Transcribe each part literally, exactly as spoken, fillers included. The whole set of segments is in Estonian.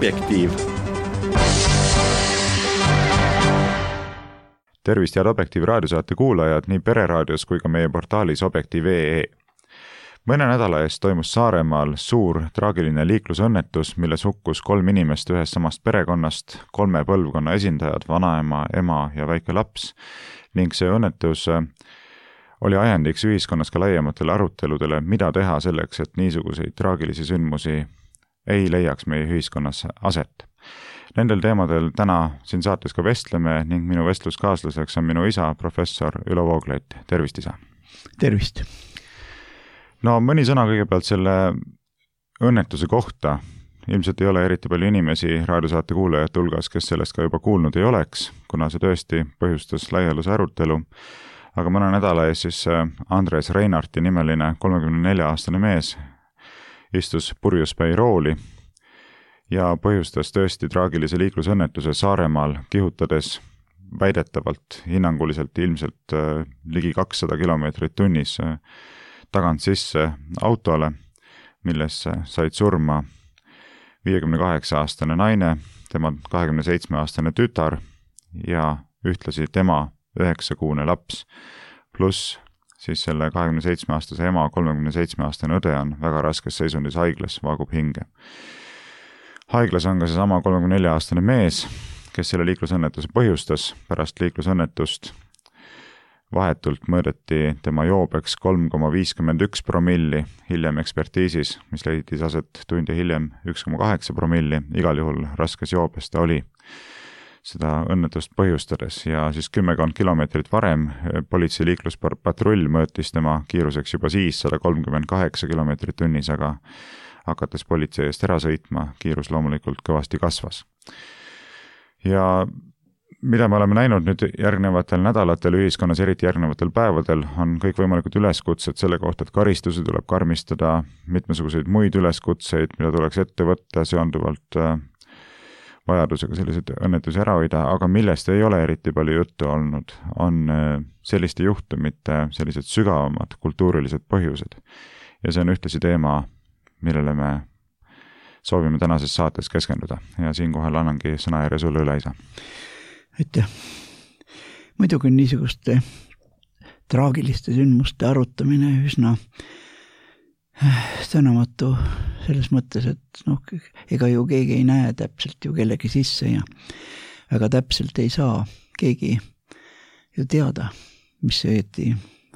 Objektiiv. Tervist head Objektiivi raadiosaate kuulajad nii pereraadios kui ka meie portaalis objektiiv punkt ee. Mõne nädala eest toimus Saaremaal suur traagiline liiklusõnnetus, milles hukkus kolm inimest ühest samast perekonnast, kolme põlvkonna esindajad, vanaema, ema ja väike laps, ning see õnnetus oli ajendiks ühiskonnas ka laiematele aruteludele, mida teha selleks, et niisuguseid traagilisi sündmusi ei leiaks meie ühiskonnas aset. Nendel teemadel täna siin saates ka vestleme ning minu vestluskaaslaseks on minu isa, professor Ülo Vooglaid. Tervist, isa! Tervist! No mõni sõna kõigepealt selle õnnetuse kohta. Ilmselt ei ole eriti palju inimesi raadiosaate kuulajate hulgas, kes sellest ka juba kuulnud ei oleks, kuna see tõesti põhjustas laialuse arutelu. Aga mõne nädala ees siis Andres Reinarti nimeline kolmekümne nelja aastane mees istus purjuspäi rooli ja põhjustas tõesti traagilise liiklusõnnetuse Saaremaal, kihutades väidetavalt, hinnanguliselt ilmselt ligi kakssada kilomeetrit tunnis tagant sisse autole, milles said surma viiekümne kaheksa aastane naine, tema kahekümne seitsme aastane tütar ja ühtlasi tema üheksakuune laps, pluss siis selle kahekümne seitsme aastase ema kolmekümne seitsme aastane õde on väga raskes seisundis haiglas, vaagub hinge. Haiglas on ka see sama kolmekümne nelja aastane mees, kes selle liiklusõnnetuse põhjustas. Pärast liiklusõnnetust vahetult mõõdeti tema joobeks kolm koma viiskümmend üks promilli, hiljem ekspertiisis, mis leidis aset tundi hiljem üks koma kaheksa promilli, igal juhul raskes joobes ta oli seda õnnetust põhjustades ja siis kümmekond kilomeetrit varem politsei liikluspatrull mõõtis tema kiiruseks juba siis sada kolmkümmend kaheksa kilomeetrit tunnis, aga hakates politsei eest ära sõitma, kiirus loomulikult kõvasti kasvas. Ja mida me oleme näinud nüüd järgnevatel nädalatel ühiskonnas, eriti järgnevatel päevadel, on kõik võimalikud üleskutsed selle kohta, et karistusi tuleb karmistada, mitmesuguseid muid üleskutseid, mida tuleks ette võtta seonduvalt vajadusega selliseid õnnetusi ära hoida, aga millest ei ole eriti palju juttu olnud, on selliste juhtumite sellised sügavamad kultuurilised põhjused. Ja see on ühtlasi teema, millele me soovime tänases saates keskenduda. Ja siinkohal annangi sõna järje sulle üle, isa. Aitäh. Muidugi on niisuguste traagiliste sündmuste arutamine üsna sõnamatu selles mõttes, et noh, ega ju keegi ei näe täpselt ju kellegi sisse ja väga täpselt ei saa keegi ju teada, mis õieti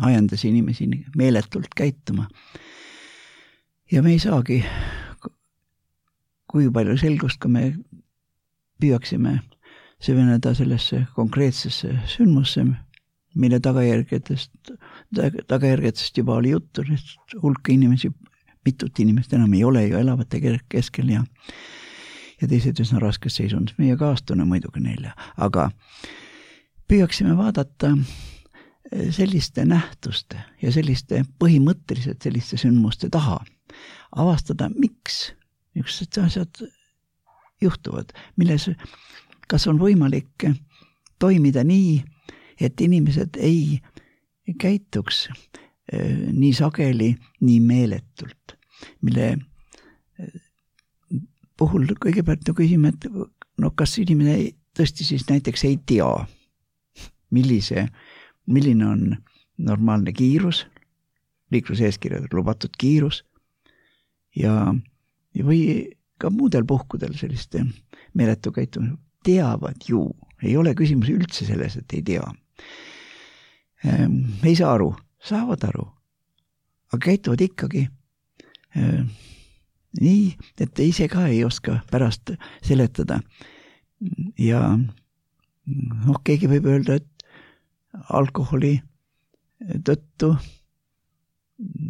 ajendas inimesi meeletult käituma. Ja me ei saagi, kui palju selgust, kui me püüaksime süveneda sellesse konkreetsesse sündmusse, mille tagajärgedest, tagajärgedest juba oli juttu, hulk inimesi, mitut inimest enam ei ole ju elavate keskel ja, ja teised üsna raskes seisund. Meie kaastune muidugi neile, aga püüaksime vaadata selliste nähtuste ja selliste põhimõtteliselt selliste sündmuste taha, avastada, miks niisugused asjad juhtuvad, milles kas on võimalik toimida nii, et inimesed ei käituks nii sageli, nii meeletult, mille puhul kõigepealt küsime, et no kas inimene tõesti siis näiteks ei tea, millise, milline on normaalne kiirus, liikluseeskirjad lubatud kiirus ja, ja või ka muudel puhkudel selliste meeletu käitumine teavad ju, ei ole küsimus üldse selles, et ei tea. Ei saa aru, saavad aru, aga käituvad ikkagi nii, et ise ka ei oska pärast seletada. Ja noh, keegi võib öelda, et alkoholi tõttu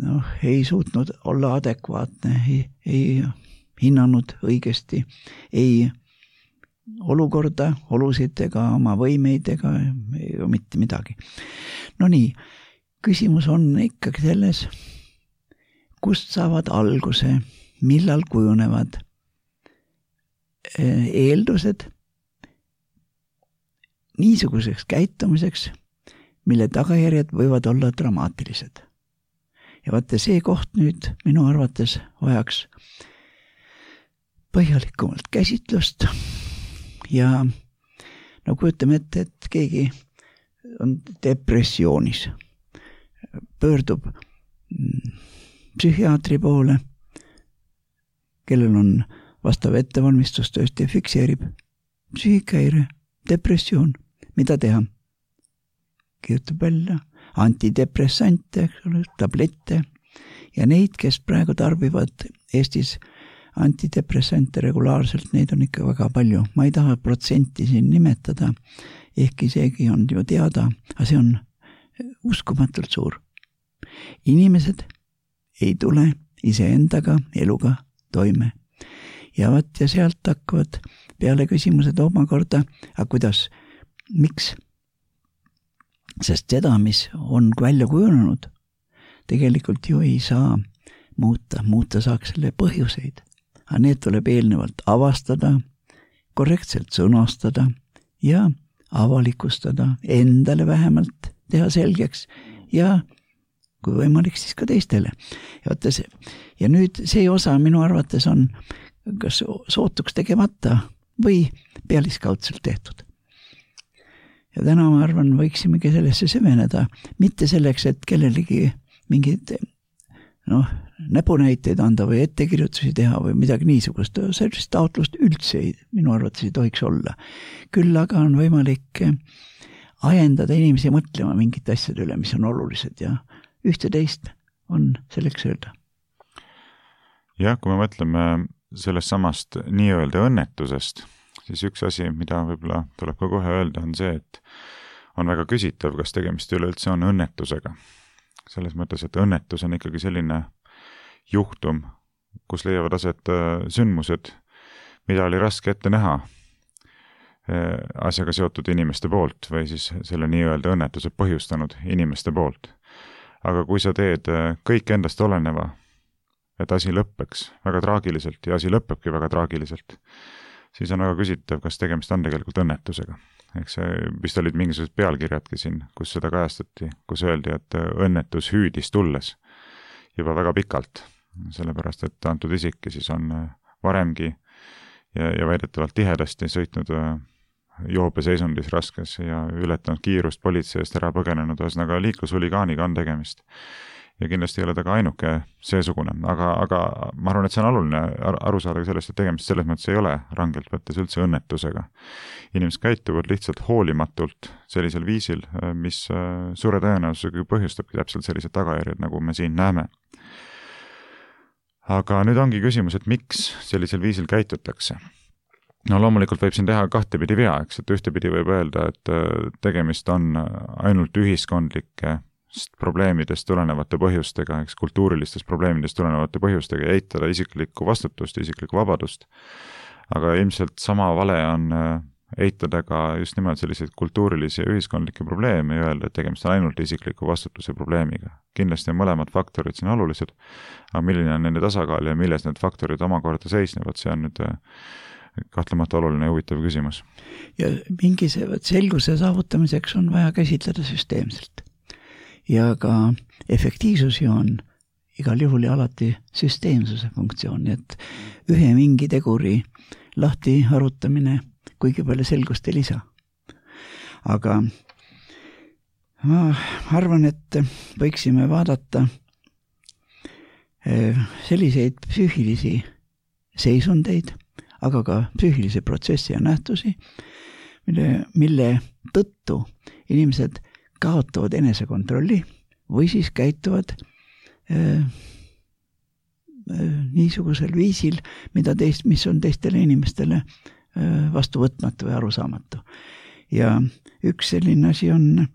noh, ei suutnud olla adekvaatne, ei, ei hinnanud õigesti, ei olukorda, olusid ega oma võimeid ega mitte midagi. No nii, küsimus on ikkagi selles, kust saavad alguse, millal kujunevad eeldused niisuguseks käitumiseks, mille tagajärjed võivad olla dramaatilised. Ja vaata see koht nüüd minu arvates vajaks põhjalikumalt käsitlust ja no kujutame ette, et keegi on depressioonis, pöördub psühhiaatri poole, kellel on vastav ettevalmistus tõesti fikseerib psüühikahäire, depressioon, mida teha? Kirjutab välja antidepressante, tablette ja neid, kes praegu tarbivad Eestis antidepressante regulaarselt, neid on ikka väga palju. Ma ei taha protsenti siin nimetada, ehkki seegi on ju teada, aga see on uskumatult suur. Inimesed ei tule iseendaga eluga toime. Ja vaat ja sealt hakkavad peale küsimused omakorda, aga kuidas, miks? Sest seda, mis on välja kujunenud, tegelikult ju ei saa muuta, muuta saaks selle põhjuseid. Aga need tuleb eelnevalt avastada, korrektselt sõnastada ja avalikustada, endale vähemalt teha selgeks ja kui võimalik, siis ka teistele. Ja, võtta see. Ja nüüd see osa minu arvates on kas sootuks tegemata või pealiskaudselt tehtud. Ja täna ma arvan, võiksimegi sellesse süveneda, mitte selleks, et kellelegi mingid noh, näpunäiteid anda või ettekirjutusi teha või midagi niisugust. Sellist taotlust üldse ei, minu arvates ei tohiks olla. Küll aga on võimalik ajendada inimesi mõtlema mingite asjade üle, mis on olulised ja ühte teist on selleks öelda. Jah, kui me mõtleme sellest samast nii-öelda õnnetusest, siis üks asi, mida võib-olla tuleb ka kohe öelda, on see, et on väga küsitav, kas tegemist üleüldse on õnnetusega. Selles mõttes, et õnnetus on ikkagi selline juhtum, kus leiavad aset sündmused, mida oli raske ette näha asjaga seotud inimeste poolt või siis selle nii-öelda õnnetuse põhjustanud inimeste poolt. Aga kui sa teed kõik endast oleneva, et asi lõppeks väga traagiliselt ja asi lõppebki väga traagiliselt, siis on väga küsitav, kas tegemist on tegelikult õnnetusega. Ehk see, vist olid mingisugused pealkirjadki siin, kus seda kajastati, kus öeldi, et õnnetus hüüdis tulles juba väga pikalt, sellepärast, et antud isikki siis on varemgi ja, ja väidetavalt tihedasti sõitnud joobeseisundis raskes ja ületanud kiirust politseist ära põgenenud, ühesõnaga liiklushuligaaniga on tegemist. Ja kindlasti ei ole ta ka ainuke seesugune, aga, aga ma arvan, et see on oluline aru saada sellest, et tegemist selles mõttes ei ole rangelt võttes üldse õnnetusega. Inimesed käituvad lihtsalt hoolimatult sellisel viisil, mis suure tõenäosusega põhjustabki täpselt sellised tagajärjed, nagu me siin näeme. Aga nüüd ongi küsimus, et miks sellisel viisil käitutakse. No loomulikult võib siin teha kahtepidi vea, eks, et ühtepidi võib öelda, et tegemist on ainult ühiskondlike probleemidest tulenevate põhjustega, eks kultuurilistest probleemidest tulenevate põhjustega ja eitada isiklikku vastutust, isiklikku vabadust. Aga ilmselt sama vale on eitada ka just nimelt selliseid kultuurilisi ja ühiskondlikke probleeme ja öelda, et tegemist on ainult isikliku vastutuse probleemiga. Kindlasti on mõlemad faktorid siin olulised, aga milline on nende tasakaal ja milles need faktorid omakorda seisnevad, see on nüüd kahtlemata oluline ja huvitav küsimus. Ja mingi selguse saavutamiseks on vaja käsitleda süsteemselt. Ja ka efektiivsus ju on igal juhul ja alati süsteemsuse funktsioon, nii et ühe mingi teguri lahti arutamine kuigi palju selgust ei lisa. Aga ma arvan, et võiksime vaadata selliseid psüühilisi seisundeid, aga ka psüühilisi protsessi ja nähtusi, mille, mille tõttu inimesed kaotavad enesekontrolli või siis käituvad äh, äh, niisugusel viisil, mida teist, mis on teistele inimestele äh, vastuvõtmatu või arusaamatu. Ja üks selline asi on,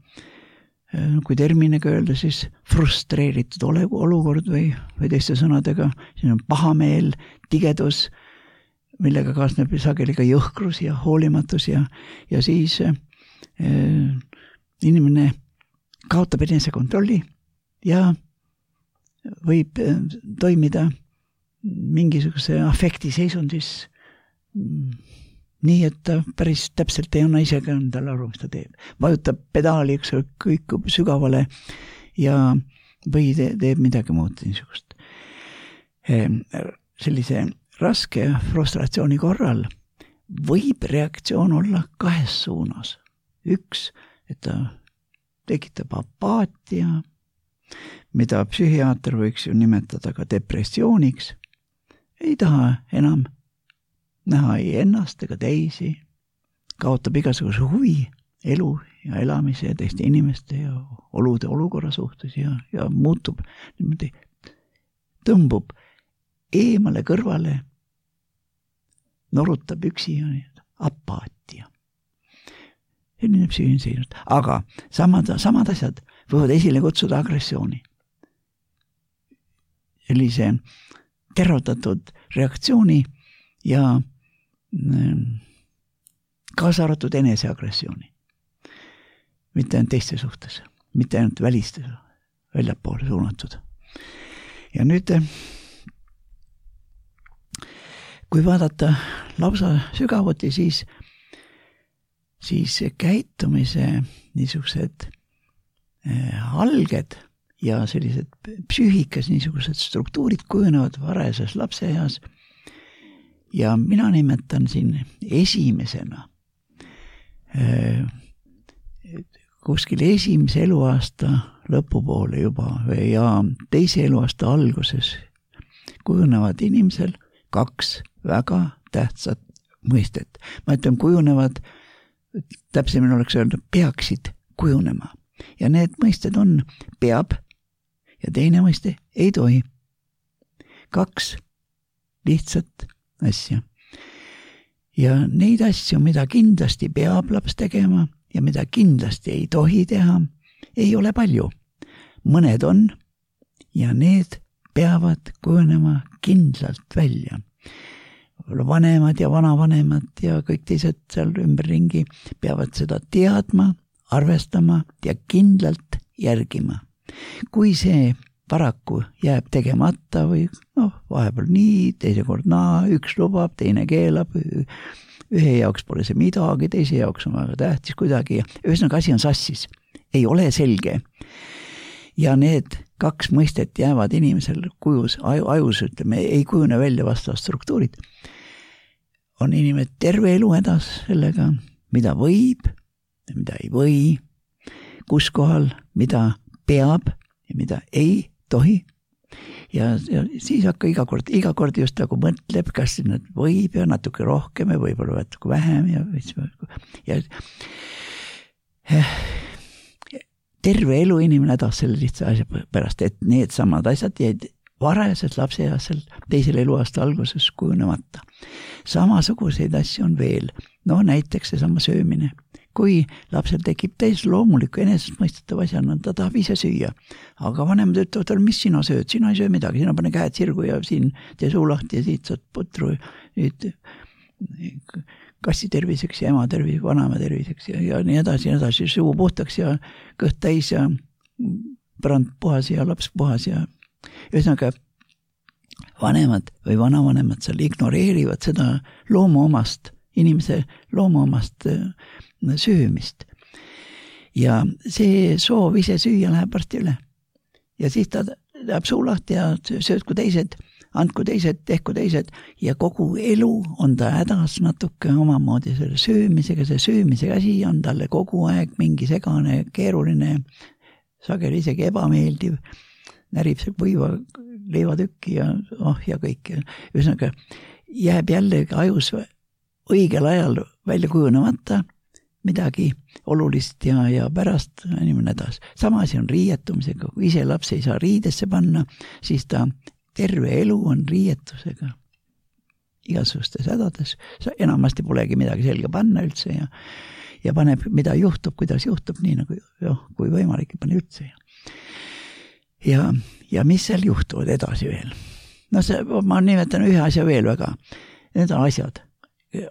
äh, kui terminiga öelda, siis frustreeritud olukord või, või teiste sõnadega, siin on pahameel, tigedus, millega kaasneb sageli ka jõhkrus ja hoolimatus ja, ja siis äh, inimene kaotab enesekontrolli ja võib toimida mingisuguse afekti seisundis nii, et ta päris täpselt ei anna isegi endale aru, mis ta teeb. Vajutab pedaali, üks kõikub sügavale ja või teeb midagi muud niisugust. Sellise raske frustratsiooni korral võib reaktsioon olla kahes suunas. Üks, et ta tekitab apaatia, mida psühhiaater võiks ju nimetada ka depressiooniks. Ei taha enam näha ei ennast ega teisi, kaotab igasuguse huvi elu ja elamise ja teiste inimeste ja olude olukorra suhtes ja, ja muutub niimoodi, tõmbub eemale kõrvale, norutab üksi ja apaatia. Selline psüühiline, aga samad, samad asjad võivad esile kutsuda agressiooni. Sellise terrotatud reaktsiooni ja kaasa arvatud eneseagressiooni. Mitte ainult teiste suhtes, mitte ainult väliste väljapoole suunatud. Ja nüüd, kui vaadata lausa sügavuti, siis siis käitumise niisugused alged ja sellised psüühikas niisugused struktuurid kujunevad varajases lapseeas ja mina nimetan siin esimesena kuskil esimese eluaasta lõpupoole juba ja teise eluaasta alguses kujunevad inimesel kaks väga tähtsat mõistet. Ma ütlen, kujunevad täpsemini oleks öelda, peaksid kujunema. Ja need mõisted on peab ja teine mõiste ei tohi. Kaks lihtsat asja. Ja neid asju, mida kindlasti peab laps tegema ja mida kindlasti ei tohi teha, ei ole palju. Mõned on ja need peavad kujunema kindlalt välja. Vanemad ja vanavanemad ja kõik teised seal ümberringi peavad seda teadma, arvestama ja kindlalt järgima. Kui see paraku jääb tegemata või noh, vahepeal nii, teise kord naa, üks lubab, teine keelab, ühe jaoks pole see midagi, teise jaoks on väga tähtis kuidagi. Ühesõnaga asi on sassis, ei ole selge. Ja need kaks mõistet jäävad inimesel kujus, aju, ajus, ütleme, ei kujune välja vastavad struktuurid. On inimene terve elu edas sellega, mida võib ja mida ei või, kus kohal, mida peab ja mida ei tohi. Ja, ja siis hakka iga kord, iga kord just nagu mõtleb, kas nad võib ja natuke rohkem ja võib-olla natuke vähem ja, ja, ja terve elu inimene hädas selle lihtsa asja pärast, et need samad asjad jäid varajases lapseeasel teisel eluaasta alguses kujunemata. Samasuguseid asju on veel. No näiteks seesama söömine. Kui lapsel tekib täis loomuliku enesestmõistetav asjana, ta tahab ise süüa. Aga vanemad ütlevad, mis sina sööd? Sina ei söö midagi, sina pane käed sirgu ja siin tee suu lahti ja siit saad putru. Nüüd kassi terviseks ja ema terviseks, vanema terviseks ja, ja nii edasi ja edasi, suu puhtaks ja kõht täis ja põrand puhas ja laps puhas ja ühesõnaga vanemad või vanavanemad seal ignoreerivad seda loomuomast, inimese loomuomast söömist. Ja see soov ise süüa läheb varsti üle. Ja siis ta läheb suu lahti ja sööd kui teised, andku teised, tehku teised ja kogu elu on ta hädas natuke omamoodi selle söömisega, see söömise asi on talle kogu aeg mingi segane, keeruline, sageli isegi ebameeldiv, närib see võiva leivatükki ja oh ja kõik. Ühesõnaga jääb jälle ajus õigel ajal välja kujunemata midagi olulist ja, ja pärast inimene edas. Sama asi on riietumisega, kui ise laps ei saa riidesse panna, siis ta terve elu on riietusega igasugustes hädades. Enamasti polegi midagi selge panna üldse ja, ja paneb, mida juhtub, kuidas juhtub, nii nagu joh, kui võimalik, pane üldse. Ja, ja mis seal juhtuvad edasi veel? No see, ma nimetan ühe asja veel väga. Need on asjad.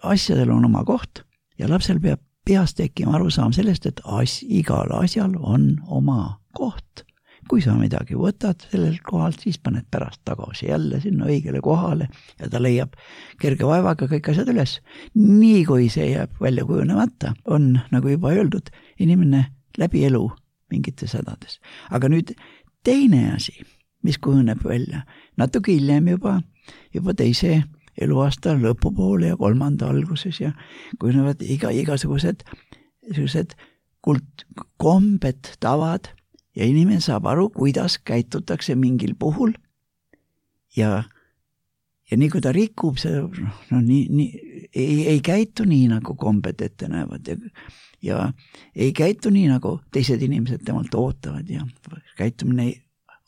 Asjadel on oma koht ja lapsel peab peast tekkima arusaam sellest, et as, igal asjal on oma koht. Kui sa midagi võtad sellel kohalt, siis paned pärast tagasi jälle sinna õigele kohale ja ta leiab kerge vaevaga kõik asjad üles. Nii kui see jääb välja kujunemata, on, nagu juba öeldud, inimene läbi elu mingites hädades. Aga nüüd teine asi, mis kujuneb välja, natuke hiljem juba, juba teise eluaasta lõpupoole ja kolmanda alguses ja kujunevad iga, igasugused sellised kult, kombed, tavad ja inimene saab aru, kuidas käitutakse mingil puhul ja, ja nii kui ta rikub, see no, nii, nii, ei, ei käitu nii, nagu kombed ette näevad ja, ja ei käitu nii, nagu teised inimesed temalt ootavad ja käitumine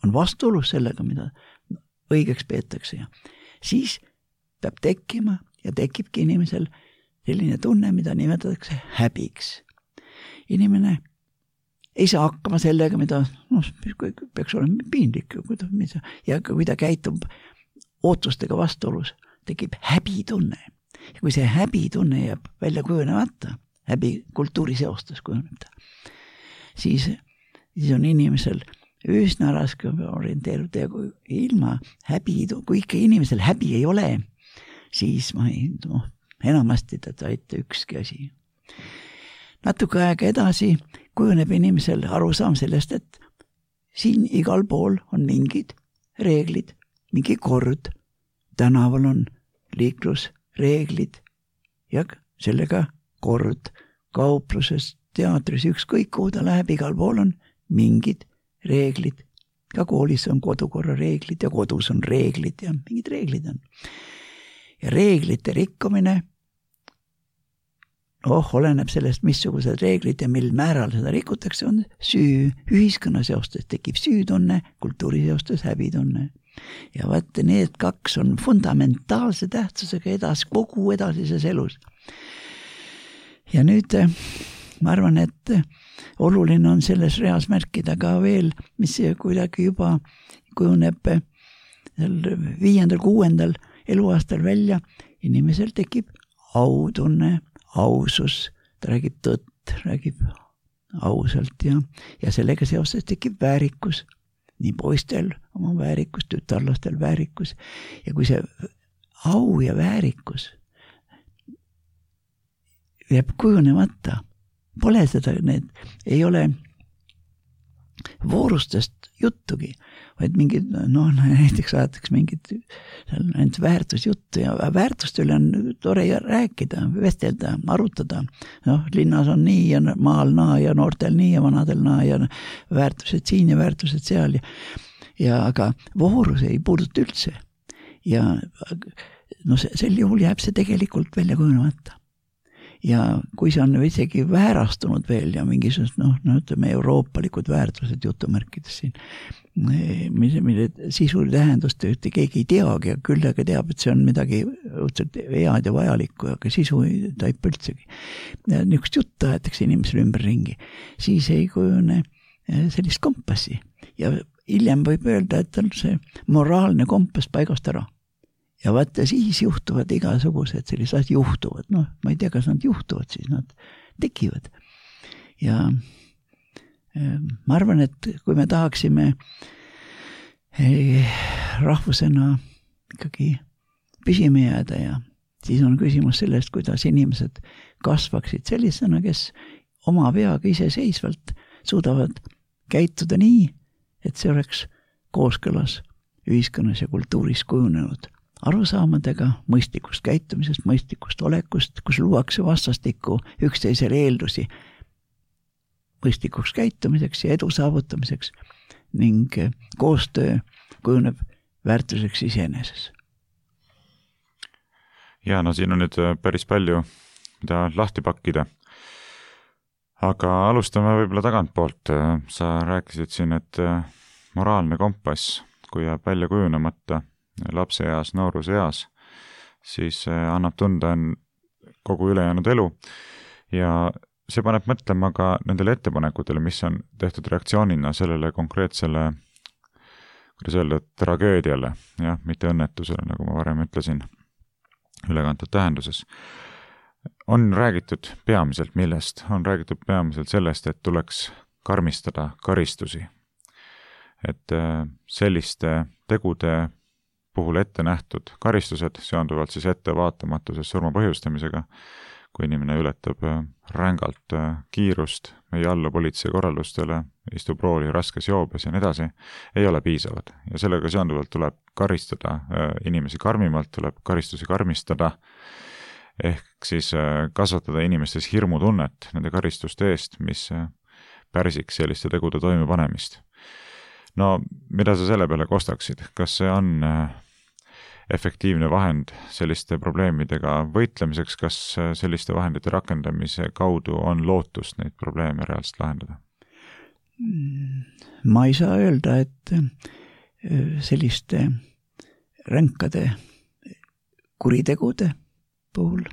on vastuolus sellega, mida õigeks peetakse ja siis peab tekkima ja tekibki inimesel selline tunne, mida nimetatakse häbiks. Inimene ei saa hakkama sellega, mida no, peaks olema piinlik ja kui ta käitub ootustega vastuolus, tekib häbitunne. Ja kui see häbitunne jääb välja kujunemata, häbi kultuuriseostes kujuneb ta, siis, siis on inimesel üsna raske orienteeruda ja kui ilma häbi, kui ikka inimesel häbi ei ole, siis ma ei, no, enamasti ta taita ükski asi. Natuke aega edasi kujuneb inimesel arusaam sellest, et siin igal pool on mingid reeglid, mingi kord, tänaval on liiklusreeglid ja sellega kord, kaupluses, teatris, ükskõik kuhu ta läheb, igal pool on mingid reeglid. Ka koolis on kodukorra reeglid ja kodus on reeglid ja mingid reeglid on. Ja reeglite rikkumine, oh, oleneb sellest, missugused reeglid ja mil määral seda rikutakse, on süü. Ühiskonnaseostes tekib süütunne, kultuuriseostes häbitunne. Ja vaat need kaks on fundamentaalse tähtsusega edas, kogu edasises elus. Ja nüüd ma arvan, et oluline on selles reas märkida ka veel, mis kuidagi juba kujuneb viiendal, kuuendal eluaastal välja, inimesel tekib autunne, ausus, ta räägib tõtt, räägib ausalt ja, ja sellega seoses tekib väärikus, nii poistel oma väärikus, tütarlastel väärikus ja kui see au ja väärikus jääb kujunemata, pole seda, need ei ole voorustest juttugi, vaid mingid, noh, näiteks ajatakse mingid ainult väärtusjuttu ja väärtuste üle on tore rääkida, vestelda, arutada. Noh, linnas on nii ja maal naa ja noortel nii ja vanadel naa ja väärtused siin ja väärtused seal. Ja, ja aga voorus ei puuduta üldse. Ja no, sel juhul jääb see tegelikult välja kujunemata. Ja kui see on isegi väärastunud veel ja mingisugust, noh, no ütleme euroopalikud väärtused jutumärkides siin, mille, mille sisu tähendust ühte keegi ei teagi ja küll aga teab, et see on midagi õudselt head ja vajalikku, aga sisu ei taipa üldsegi. Ja niisugust juttu aetakse inimesele ümber ringi, siis ei kujune sellist kompassi ja hiljem võib öelda, et on see moraalne kompass paigast ära. Ja vaata, siis juhtuvad igasugused sellised asjad juhtuvad. Noh, ma ei tea, kas nad juhtuvad, siis nad tekivad. Ja ma arvan, et kui me tahaksime rahvusena ikkagi püsime jääda ja siis on küsimus sellest, kuidas inimesed kasvaksid sellisena, kes oma peaga iseseisvalt suudavad käituda nii, et see oleks kooskõlas ühiskonnas ja kultuuris kujunenud arusaamadega mõistlikust käitumisest, mõistlikust olekust, kus luuakse vastastikku üksteisele eeldusi mõistlikuks käitumiseks ja edu saavutamiseks ning koostöö kujuneb väärtuseks iseeneses. Ja no siin on nüüd päris palju, mida lahti pakkida. Aga alustame võib-olla tagantpoolt. Sa rääkisid siin, et moraalne kompass, kui jääb välja kujunemata lapse eas, nooruse eas, siis annab tunda kogu ülejäänud elu ja see paneb mõtlema ka nendele ettepanekutele, mis on tehtud reaktsioonina sellele konkreetsele, kuidas öelda, tragöödiale, jah, mitte õnnetusele, nagu ma varem ütlesin, ülekantud tähenduses. On räägitud peamiselt millest? On räägitud peamiselt sellest, et tuleks karmistada karistusi. Et selliste tegude puhul ette nähtud karistused seonduvalt siis ettevaatamatusest surma põhjustamisega, kui inimene ületab rängalt kiirust, ei allu politsei korraldustele, istub rooli raskes joobes ja nii edasi, ei ole piisavad. Ja sellega seonduvalt tuleb karistada inimesi karmimalt, tuleb karistusi karmistada, ehk siis kasvatada inimestes hirmutunnet nende karistuste eest, mis pärsiks selliste tegude toimepanemist. No, mida sa selle peale kostaksid? Kas see on efektiivne vahend selliste probleemidega võitlemiseks, kas selliste vahendite rakendamise kaudu on lootust neid probleeme reaalselt lahendada? Ma ei saa öelda, et selliste ränkade kuritegude puhul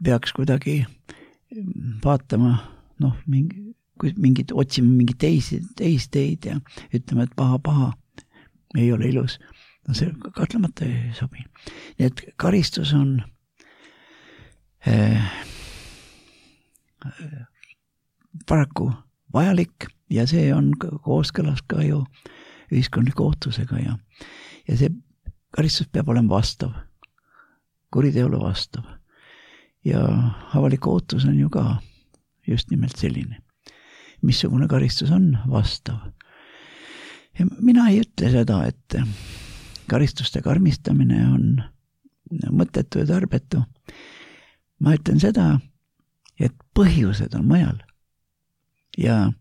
peaks kuidagi vaatama, noh, mingi, mingid, otsima mingi teisi, teisi teid ja ütlema, et paha, paha ei ole ilus. No see katlemata ei sobi. Nii et karistus on äh, paraku vajalik ja see on kooskõlas ka ju ühiskondliku ootusega ja, ja see karistus peab olema vastav, kuriteole vastav. Ja avalik ootus on ju ka just nimelt selline. Missugune karistus on vastav. Ja mina ei ütle seda, et karistuste karmistamine on mõttetu ja tarbetu. Ma ütlen seda, et põhjused on mujal. Ja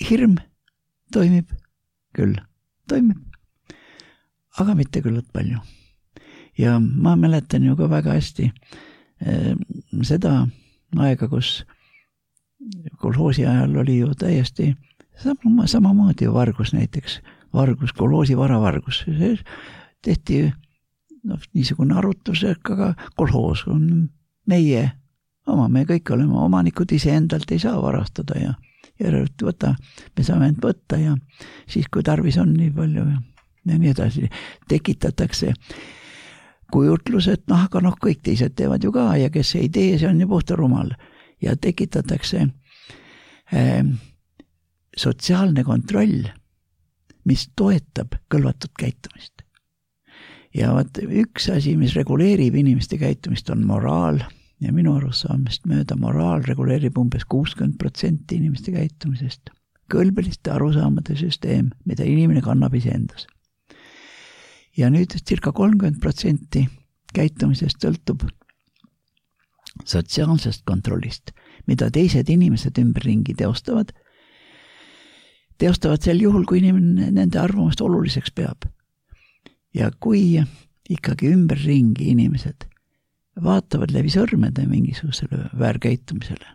hirm toimib küll, toimib, aga mitte küllalt palju. Ja ma mäletan ju ka väga hästi eh, seda aega, kus kolhoosi ajal oli ju täiesti Sama, samamoodi ju vargus näiteks, vargus, kolhoosi varavargus. See tehti no, niisugune arutus, aga kolhoos on meie oma, me kõik oleme omanikud, ise endalt ei saa varastada ja järelikult võta, me saame end võtta ja siis, kui tarvis on nii palju ja, ja nii edasi, tekitatakse kujutlus, et noh, aga noh, kõik teised teevad ju ka ja kes ei tee, see on ju puhta rumal ja tekitatakse äh, sotsiaalne kontroll, mis toetab kõlvatut käitumist. Ja vaat üks asi, mis reguleerib inimeste käitumist, on moraal ja minu arusaamist mööda moraal reguleerib umbes kuuskümmend protsenti inimeste käitumisest. Kõlbeliste arusaamade süsteem, mida inimene kannab iseendas. Ja nüüd circa kolmkümmend protsenti käitumisest sõltub sotsiaalsest kontrollist, mida teised inimesed ümberringi teostavad, teostavad sel juhul, kui inimene nende arvamust oluliseks peab. Ja kui ikkagi ümberringi inimesed vaatavad läbi sõrmede mingisugusele väärkäitumisele,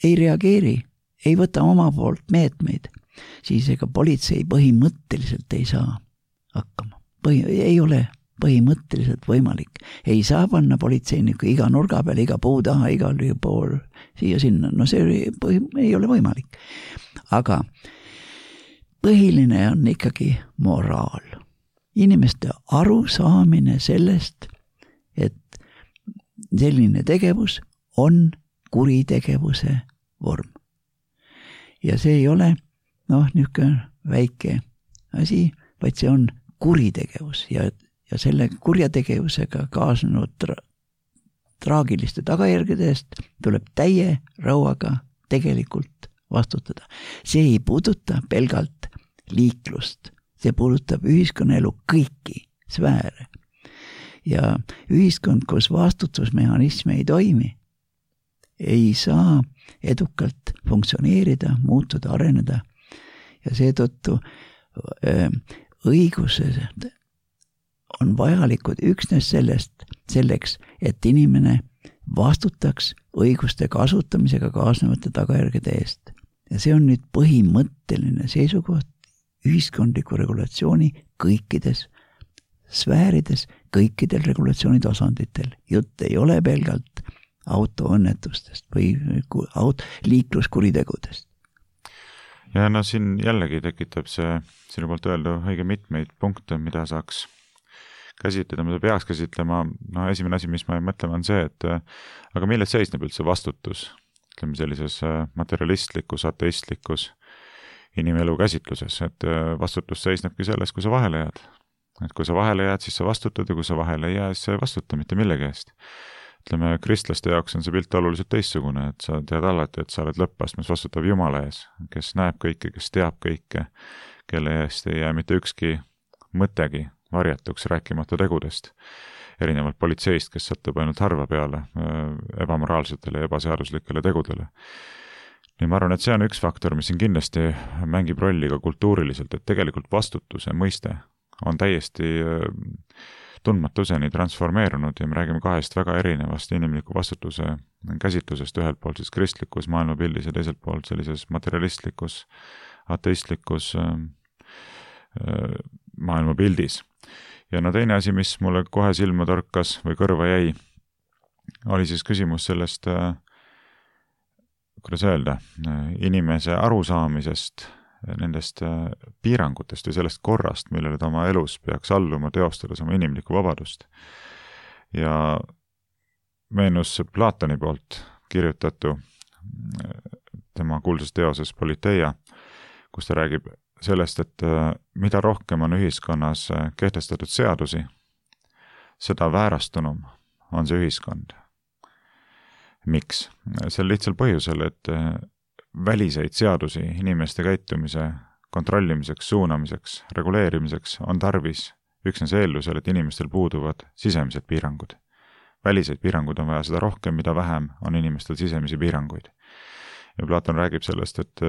ei reageeri, ei võta oma poolt meetmeid, siis ega politsei põhimõtteliselt ei saa hakkama. Põhi, ei ole põhimõtteliselt võimalik. Ei saa panna politseiniku iga nurga peal, iga puu taha, igal pool siia sinna. No see põhi, ei ole võimalik. Aga põhiline on ikkagi moraal. Inimeste arusaamine sellest, et selline tegevus on kuritegevuse vorm. Ja see ei ole noh, niisugune väike asi, vaid see on kuritegevus ja, ja selle kurjategevusega kaasnenud tra- traagiliste tagajärgede eest tuleb täie rauaga tegelikult vastutada. See ei puuduta pelgalt liiklust, see puudutab ühiskonnaelu kõiki sfääre. Ja ühiskond, kus vastutusmehhanisme ei toimi, ei saa edukalt funktsioneerida, muutuda, areneda ja seetõttu öö, õigused on vajalikud üksnes sellest, selleks, et inimene vastutaks õiguste kasutamisega kaasnevate tagajärgede eest. Ja see on nüüd põhimõtteline seisukoht ühiskondliku regulatsiooni kõikides sfäärides, kõikidel regulatsiooni tasanditel. Jutt ei ole pelgalt autoõnnetustest või aut- liikluskuritegudest. Ja no siin jällegi tekitab see sinu poolt öeldu õige mitmeid punkte, mida saaks käsitleda, mida peaks käsitlema. No esimene asi, mis ma mõtlema on see, et aga milles seisneb üldse vastutus? Ütleme sellises materialistlikus, ateistlikus inimelu käsitluses, et vastutus seisnebki selles, kui sa vahele jääd. et kui sa vahele jääd, siis sa vastutad ja kui sa vahele ei jää, siis sa ei vastuta mitte millegi eest. Ütleme, kristlaste jaoks on see pilt oluliselt teistsugune, et sa tead alati, et sa oled lõppastmes vastutav Jumala ees, kes näeb kõike, kes teab kõike, kelle eest ei jää mitte ükski mõttegi varjatuks, rääkimata tegudest. Erinevalt politseist, kes satub ainult harva peale ebamoraalsetele ja ebaseaduslikele tegudele. Nii ma arvan, et see on üks faktor, mis siin kindlasti mängib rolli ka kultuuriliselt, et tegelikult vastutuse mõiste on täiesti tundmatuseni transformeerunud ja me räägime kahest väga erinevast inimliku vastutuse käsitlusest, ühelt poolt siis kristlikus maailmapildis ja teiselt poolt sellises materialistlikus, ateistlikus maailmapildis. Ja no teine asi, mis mulle kohe silma torkas või kõrva jäi, oli siis küsimus sellest, kuidas öelda, inimese arusaamisest nendest piirangutest või sellest korrast, millele ta oma elus peaks alluma, teostades oma inimlikku vabadust. Ja meenus Platoni poolt kirjutatu tema kuulsas teoses Politeia, kus ta räägib sellest, et mida rohkem on ühiskonnas kehtestatud seadusi, seda väärastunum on see ühiskond. Miks? Sel lihtsal põhjusel, et väliseid seadusi inimeste käitumise kontrollimiseks, suunamiseks, reguleerimiseks on tarvis üksnes eeldusel, et inimestel puuduvad sisemised piirangud. Väliseid piirangud on vaja seda rohkem, mida vähem on inimestel sisemisi piiranguid. Ja Platon räägib sellest, et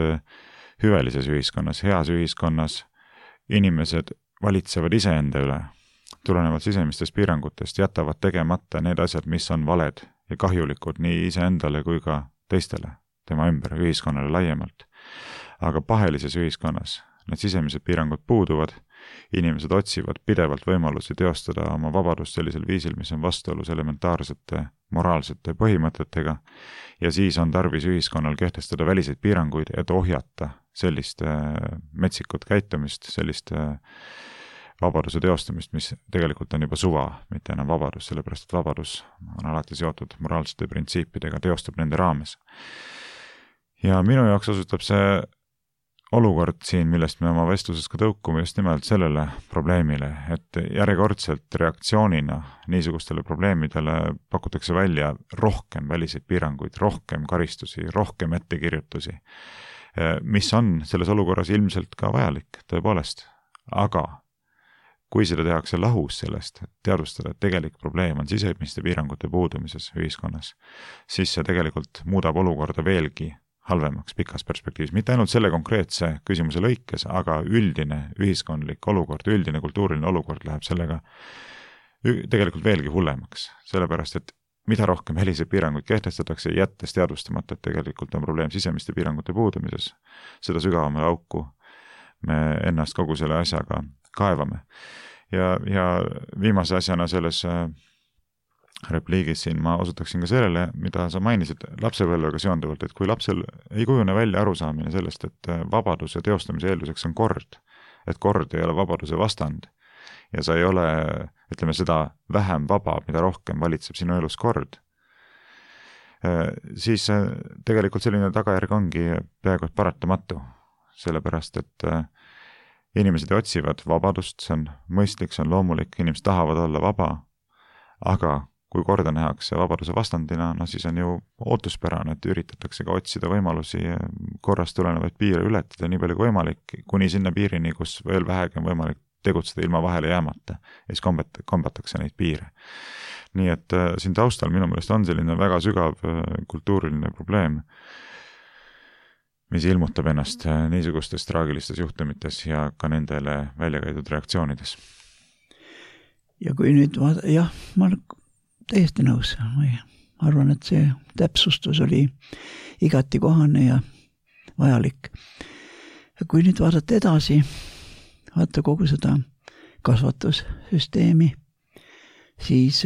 hüvelises ühiskonnas, heas ühiskonnas inimesed valitsevad iseenda üle, tulenevalt sisemistest piirangutest, jätavad tegemata need asjad, mis on valed ja kahjulikud nii iseendale kui ka teistele, tema ümber, ühiskonnale laiemalt. Aga pahelises ühiskonnas need sisemised piirangud puuduvad, inimesed otsivad pidevalt võimalusi teostada oma vabadust sellisel viisil, mis on vastuolus elementaarsete moraalsete põhimõtetega ja siis on tarvis ühiskonnal kehtestada väliseid piiranguid, et ohjata sellist metsikut käitumist, sellist vabaduse teostamist, mis tegelikult on juba suva, mitte enam vabadus, sellepärast et vabadus on alati seotud moraalsete printsiipidega, teostab nende raames. Ja minu jaoks osutab see olukord siin, millest me oma vestluses ka tõukume just nimelt sellele probleemile, et järjekordselt reaktsioonina niisugustele probleemidele pakutakse välja rohkem väliseid piiranguid, rohkem karistusi, rohkem ettekirjutusi, mis on selles olukorras ilmselt ka vajalik, tõepoolest. Aga kui seda tehakse lahus sellest, et teadvustada, et tegelik probleem on sisemiste piirangute puudumises ühiskonnas, siis see tegelikult muudab olukorda veelgi halvemaks pikas perspektiivis. Mitte ainult selle konkreetse küsimuse lõikes, aga üldine ühiskondlik olukord, üldine kultuuriline olukord läheb sellega tegelikult veelgi hullemaks. Sellepärast, et mida rohkem väliseid piiranguid kehtestatakse, jättes teadvustamata, et tegelikult on probleem sisemiste piirangute puudumises, seda sügavamale auku me ennast kogu selle asjaga kaevame. Ja, ja viimase asjana selles repliigis siin ma osutaksin ka sellele, mida sa mainisid lapsepõlvega seonduvalt, et kui lapsel ei kujune välja arusaamine sellest, et vabaduse teostamise eelduseks on kord, et kord ei ole vabaduse vastand ja sa ei ole, ütleme seda, vähem vaba, mida rohkem valitseb sinu elus kord, siis tegelikult selline tagajärg ongi peaaegu et paratamatu, sellepärast et inimesed otsivad vabadust, see on mõistlik, see on loomulik, inimesed tahavad olla vaba, aga kui korda nähakse vabaduse vastandina, no siis on ju ootuspärane, et üritatakse ka otsida võimalusi korrast tulenevaid piire ületada nii palju kui võimalik, kuni sinna piirini, kus veel vähegi on võimalik tegutseda ilma vahele jäämata, ja siis kombet, kombatakse neid piire. Nii et äh, siin taustal minu meelest on selline väga sügav äh, kultuuriline probleem, mis ilmutab ennast äh, niisugustes traagilistes juhtumites ja ka nendele välja käidud reaktsioonides. Ja kui nüüd vaada, jah, ma täiesti nõus. Ma arvan, et see täpsustus oli igati kohane ja vajalik. Ja kui nüüd vaadata edasi, vaata kogu seda kasvatussüsteemi, siis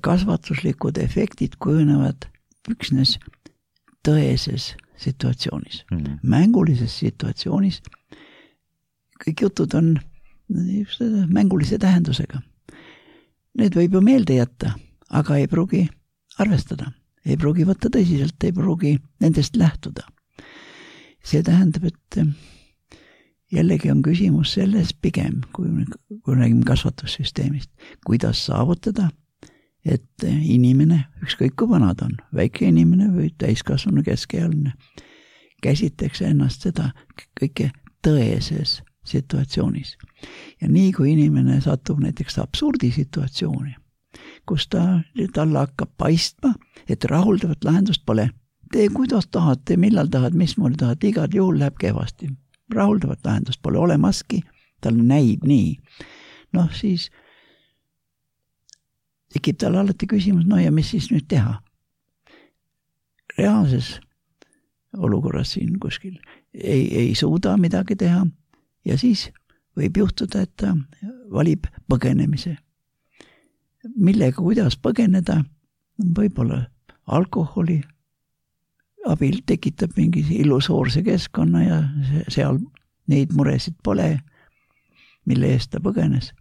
kasvatuslikud efektid kujunevad üksnes tõeses situatsioonis. Mm-hmm. Mängulises situatsioonis kõik jutud on just mängulise tähendusega. Need võib ju meelde jätta, aga ei pruugi arvestada, ei pruugi võtta tõsiselt, ei pruugi nendest lähtuda. See tähendab, et jällegi on küsimus selles pigem, kui, kui räägime kasvatussüsteemist, kuidas saavutada, et inimene, ükskõik kui vanad on, väike inimene või täiskasvanu keskealine, käsitleks ennast seda kõike tõeses situatsioonis. Ja nii kui inimene satub näiteks absurdisituatsiooni, kus ta, talle hakkab paistma, et rahuldavat lahendust pole. Tee kuidas tahad, tee millal tahad, mismoodi tahad, igal juhul läheb kehvasti. Rahuldavat lahendust pole olemaski, tal näib nii. Noh, siis tekib tal alati küsimus, no ja mis siis nüüd teha? Reaalses olukorras siin kuskil ei, ei suuda midagi teha ja siis võib juhtuda, et ta valib põgenemise. Millega, kuidas põgeneda, võib-olla alkoholi abil tekitab mingi illusoorse keskkonna ja seal neid muresid pole, mille eest ta põgenes.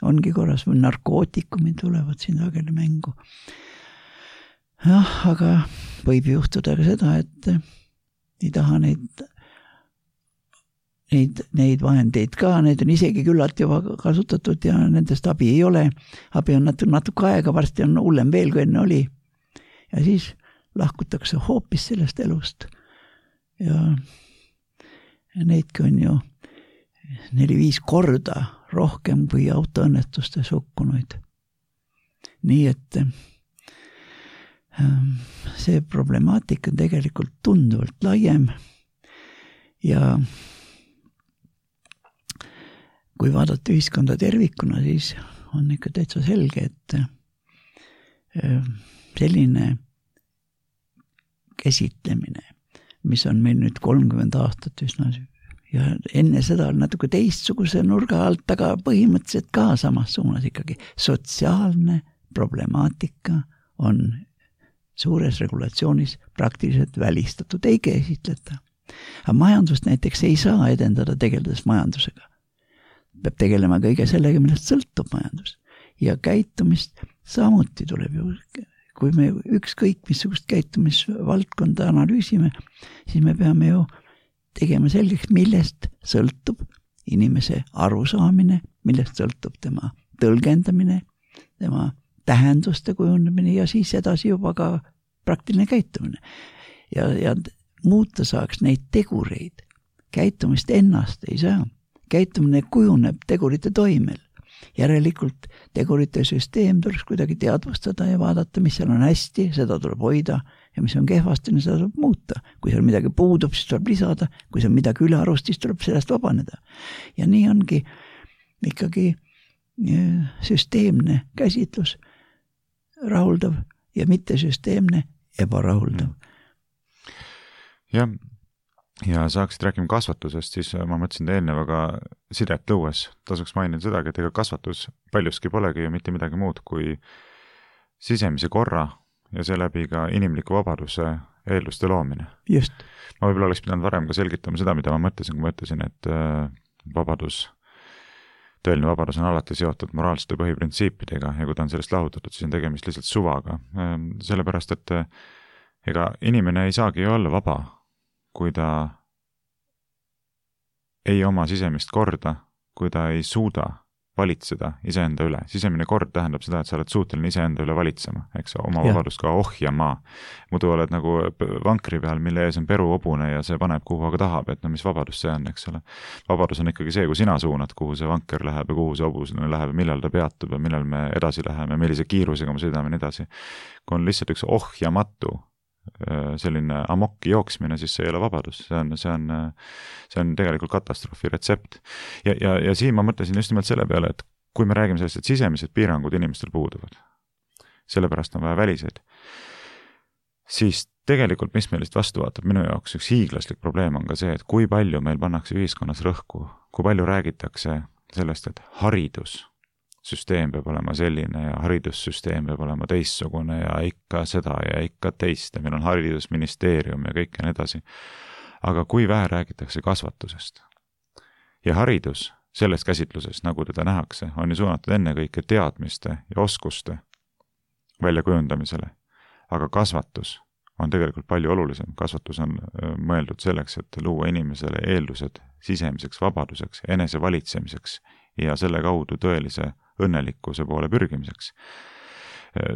Ongi korras või narkootikumid tulevad siin sageli mängu. Jah, aga võib juhtuda ka seda, et ei taha neid, neid, neid vahendeid ka, need on isegi küllalt juba kasutatud ja nendest abi ei ole. Abi on natuke, natuke aega, varsti on hullem veel, kui enne oli. Ja siis lahkutakse hoopis sellest elust. Ja neidki on ju neli-viis korda rohkem kui autoõnnetustes hukkunuid. Nii et see problemaatika on tegelikult tunduvalt laiem ja kui vaadata ühiskonda tervikuna, siis on ikka täitsa selge, et selline käsitlemine, mis on meil nüüd kolmkümmend aastat üsna ja enne seda on natuke teistsuguse nurga alt, aga põhimõtteliselt ka samas suunas ikkagi. Sotsiaalne problemaatika on suures regulatsioonis praktiliselt välistatud, ei käsitleta. Aga majandust näiteks ei saa edendada tegeledes majandusega. Peab tegelema kõige sellega, millest sõltub majandus. Ja käitumist samuti tuleb ju, kui me ükskõik missugust käitumisvaldkonda analüüsime, siis me peame ju tegema selgeks, millest sõltub inimese arusaamine, millest sõltub tema tõlgendamine, tema tähenduste kujundamine ja siis edasi juba ka praktiline käitumine. Ja, ja muuta saaks neid tegureid. Käitumist ennast ei saa. Käitumine kujuneb tegurite toimel. Järelikult tegurite süsteem tuleks kuidagi teadvustada ja vaadata, mis seal on hästi, seda tuleb hoida ja mis on kehvasti, seda tuleb muuta. Kui seal midagi puudub, siis tuleb lisada. Kui seal midagi üle arust, siis tuleb sellest vabaneda. Ja nii ongi ikkagi süsteemne käsitlus rahuldav ja mitte süsteemne ebarahuldav. Jah, ja saaksid rääkima kasvatusest, siis ma mõtlesin eelnevaga sidet lõues. Tasuks mainin sedagi, et ega kasvatus paljuski polegi ju mitte midagi muud kui sisemise korra ja seeläbi ka inimliku vabaduse eelduste loomine. Just. Ma võib-olla oleks pidanud varem ka selgitama seda, mida ma mõtlesin, kui ma ütlesin, et vabadus, tõeline vabadus on alati seotud moraalsete põhiprintsiipidega ja kui ta on sellest lahutatud, siis on tegemist lihtsalt suvaga. Sellepärast, et ega inimene ei saagi ju olla vaba, kui ta ei oma sisemist korda, kui ta ei suuda valitseda iseenda üle. Sisemine kord tähendab seda, et sa oled suuteline iseenda üle valitsema, eks oma ja. Vabadust ka ohjama. Muidu oled nagu vankri peal, mille ees on peru hobune ja see paneb kuhu aga tahab, et no mis vabadus see on, eks ole. Vabadus on ikkagi see, kui sina suunad, kuhu see vanker läheb ja kuhu see hobusene läheb ja millal ta peatub ja millal me edasi läheme, millise kiirusega me sõidame nii edasi. Kui on lihtsalt üks ohjamatu selline amokki jooksmine, siis see ei ole vabadus. See on, see on, see on tegelikult katastroofi retsept. Ja, ja, ja siin ma mõtlesin just nimelt selle peale, et kui me räägime sellest, et sisemised piirangud inimestel puuduvad, sellepärast on vaja väliseid, siis tegelikult, mis meilist vastu vaatab, minu jaoks üks hiiglaslik probleem on ka see, et kui palju meil pannakse ühiskonnas rõhku, kui palju räägitakse sellest, et haridus süsteem peab olema selline ja haridussüsteem peab olema teistsugune ja ikka seda ja ikka teist ja meil on haridusministeerium ja kõik ja nii edasi. Aga kui vähe räägitakse kasvatusest ja haridus selles käsitluses, nagu teda nähakse, on ju suunatud ennekõike teadmiste ja oskuste väljakujundamisele, aga kasvatus on tegelikult palju olulisem. Kasvatus on mõeldud selleks, et luua inimesele eeldused sisemiseks vabaduseks, enese valitsemiseks ja selle kaudu tõelise õnnelikkuse poole pürgimiseks.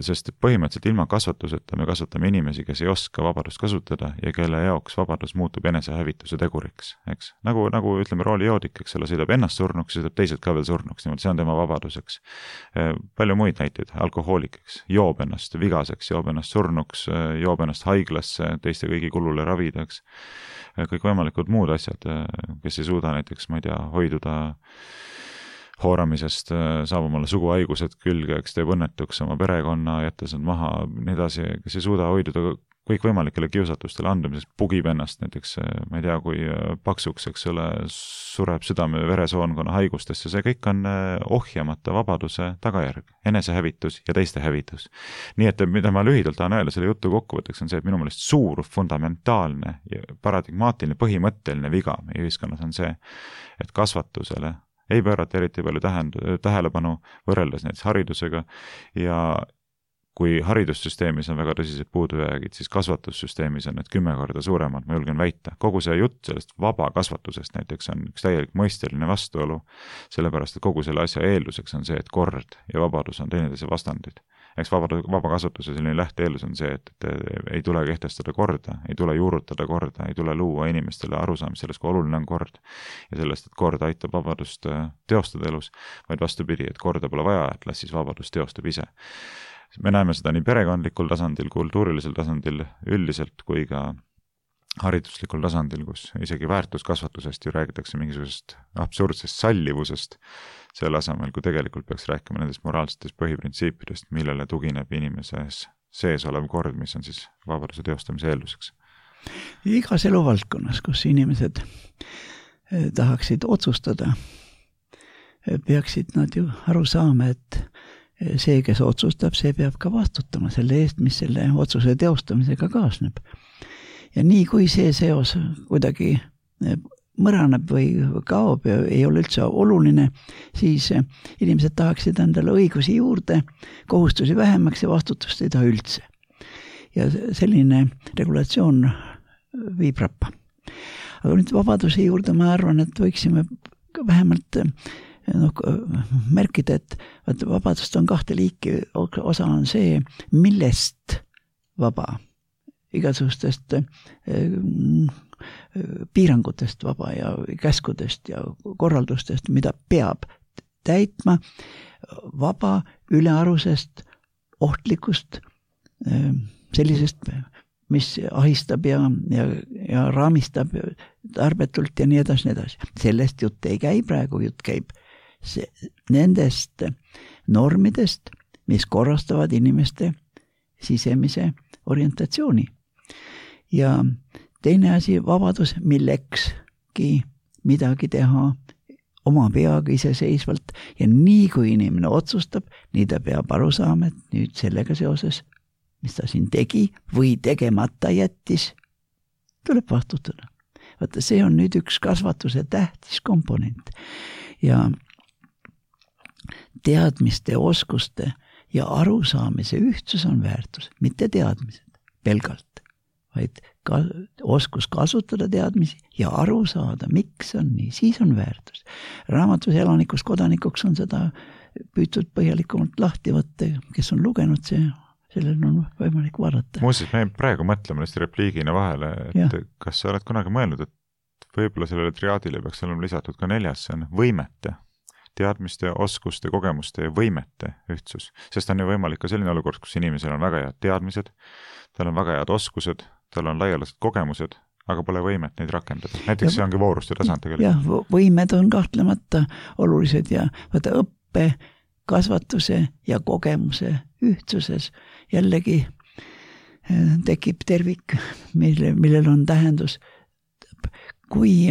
Sest põhimõtteliselt ilma kasvatuseta me kasvatame inimesi, kes ei oska vabadust kasutada ja kelle jaoks vabadus muutub enesehävituse teguriks, eks. Nagu, nagu ütleme, roolijoodik, eks selle sõidab ennast surnuks, sõidab teised ka veel surnuks, niimoodi see on tema vabaduseks. Palju muid näiteid, alkohoolik, eks, joob ennast vigaseks, joob ennast surnuks, joob ennast haiglasse, teiste kõigi kulule ravidaks, kõik võimalikud muud asjad, kes ei suuda näiteks, ma ei tea, hoiduda hooramisest, saab omale suguhaigused külge, eks teeb õnnetuks oma perekonna, jättes nad maha, nii edasi, kes ei suuda hoiduda kõik võimalikele kiusatustele andumisest, pugib ennast näiteks, ma ei tea, kui paksuks, eks ole, sureb südame veresoonkonna haigustesse, see kõik on ohjamata vabaduse tagajärg, enesehävitus ja teiste hävitus. Nii et mida ma lühidalt tahan öelda selle jutu kokkuvõtteks on see, et minu meelest suur, fundamentaalne, paradigmaatiline, põhimõtteline viga meie ühiskonnas on see, et kasvatusele ei pöörata eriti palju tähend, tähelepanu võrreldes näiteks haridusega ja kui haridussüsteemis on väga tõsised puudujäägid, siis kasvatussüsteemis on need kümme korda suuremad, ma julgen väita. Kogu see jutt sellest vaba kasvatusest näiteks on üks täielik mõisteline vastuolu, sellepärast et kogu selle asja eelduseks on see, et kord ja vabadus on teineteise vastandid. Eks vaba, vaba kasvatuse selline lähteeldus on see, et, et ei tule kehtestada korda, ei tule juurutada korda, ei tule luua inimestele arusaamist sellest, kui oluline on kord ja sellest, et kord aitab vabadust teostada elus, vaid vastupidi, et korda pole vaja, et las siis vabadust teostab ise. Me näeme seda nii perekondlikul tasandil, kultuurilisel tasandil üldiselt kui ka hariduslikul tasandil, kus isegi väärtuskasvatusest ju räägitakse mingisugusest absurdsest sallivusest selle asemel, kui tegelikult peaks rääkima nendest moraalsetest põhiprintsiipidest, millele tugineb inimeses sees olev kord, mis on siis vabaduse teostamise eelduseks. Igas eluvaldkonnas, kus inimesed tahaksid otsustada, peaksid nad ju aru saama, et see, kes otsustab, see peab ka vastutama selle eest, mis selle otsuse teostamisega kaasneb. Ja nii kui see seos kuidagi mõraneb või kaob ja ei ole üldse oluline, siis inimesed tahaksid endale õigusi juurde, kohustusi vähemaks ja vastutust ei taha üldse. Ja selline regulatsioon viib rappa. Aga nüüd vabaduse juurde ma arvan, et võiksime vähemalt no, märkida, et, et vabadust on kahte liiki. Osa on see, millest vaba, igasugustest piirangutest vaba ja käskudest ja korraldustest, mida peab täitma, vaba ülearusest, ohtlikust, sellisest, mis ahistab ja, ja, ja raamistab tarbetult ja nii edasi, nii edasi. Sellest jutt ei käi praegu, jutt käib see, nendest normidest, mis korrastavad inimeste sisemise orientatsiooni. Ja teine asi, vabadus millekski midagi teha oma peaga iseseisvalt ja nii kui inimene otsustab, nii ta peab aru saama, et nüüd sellega seoses, mis ta siin tegi või tegemata jättis, tuleb vastutada. Vaata, see on nüüd üks kasvatuse tähtis komponent ja teadmiste, oskuste ja arusaamise ühtsus on väärtus, mitte teadmised pelgalt, vaid ka, oskus kasutada teadmisi ja aru saada, miks on nii, siis on väärtus. Raamatus elanikust kodanikuks on seda püütud põhjalikumalt lahti võtta, kes on lugenud see, sellel on võimalik vaadata. Muuseas, me praegu mõtleme lihtsalt repliigina vahele, et ja. Kas sa oled kunagi mõelnud, et võib-olla sellele triaadile peaks olema lisatud ka neljas, see on võimete, teadmiste, oskuste, kogemuste ja võimete ühtsus. Sest on ju võimalik ka selline olukord, kus inimesel on väga head teadmised, tal on väga head oskused, tal on laialased kogemused, aga pole võimet neid rakendada. Näiteks ja, see ongi vooruste tasand tegelikult. Jah, võimed on kahtlemata olulised ja vaata õppe, kasvatuse ja kogemuse ühtsuses jällegi tekib tervik, mille, millel on tähendus. Kui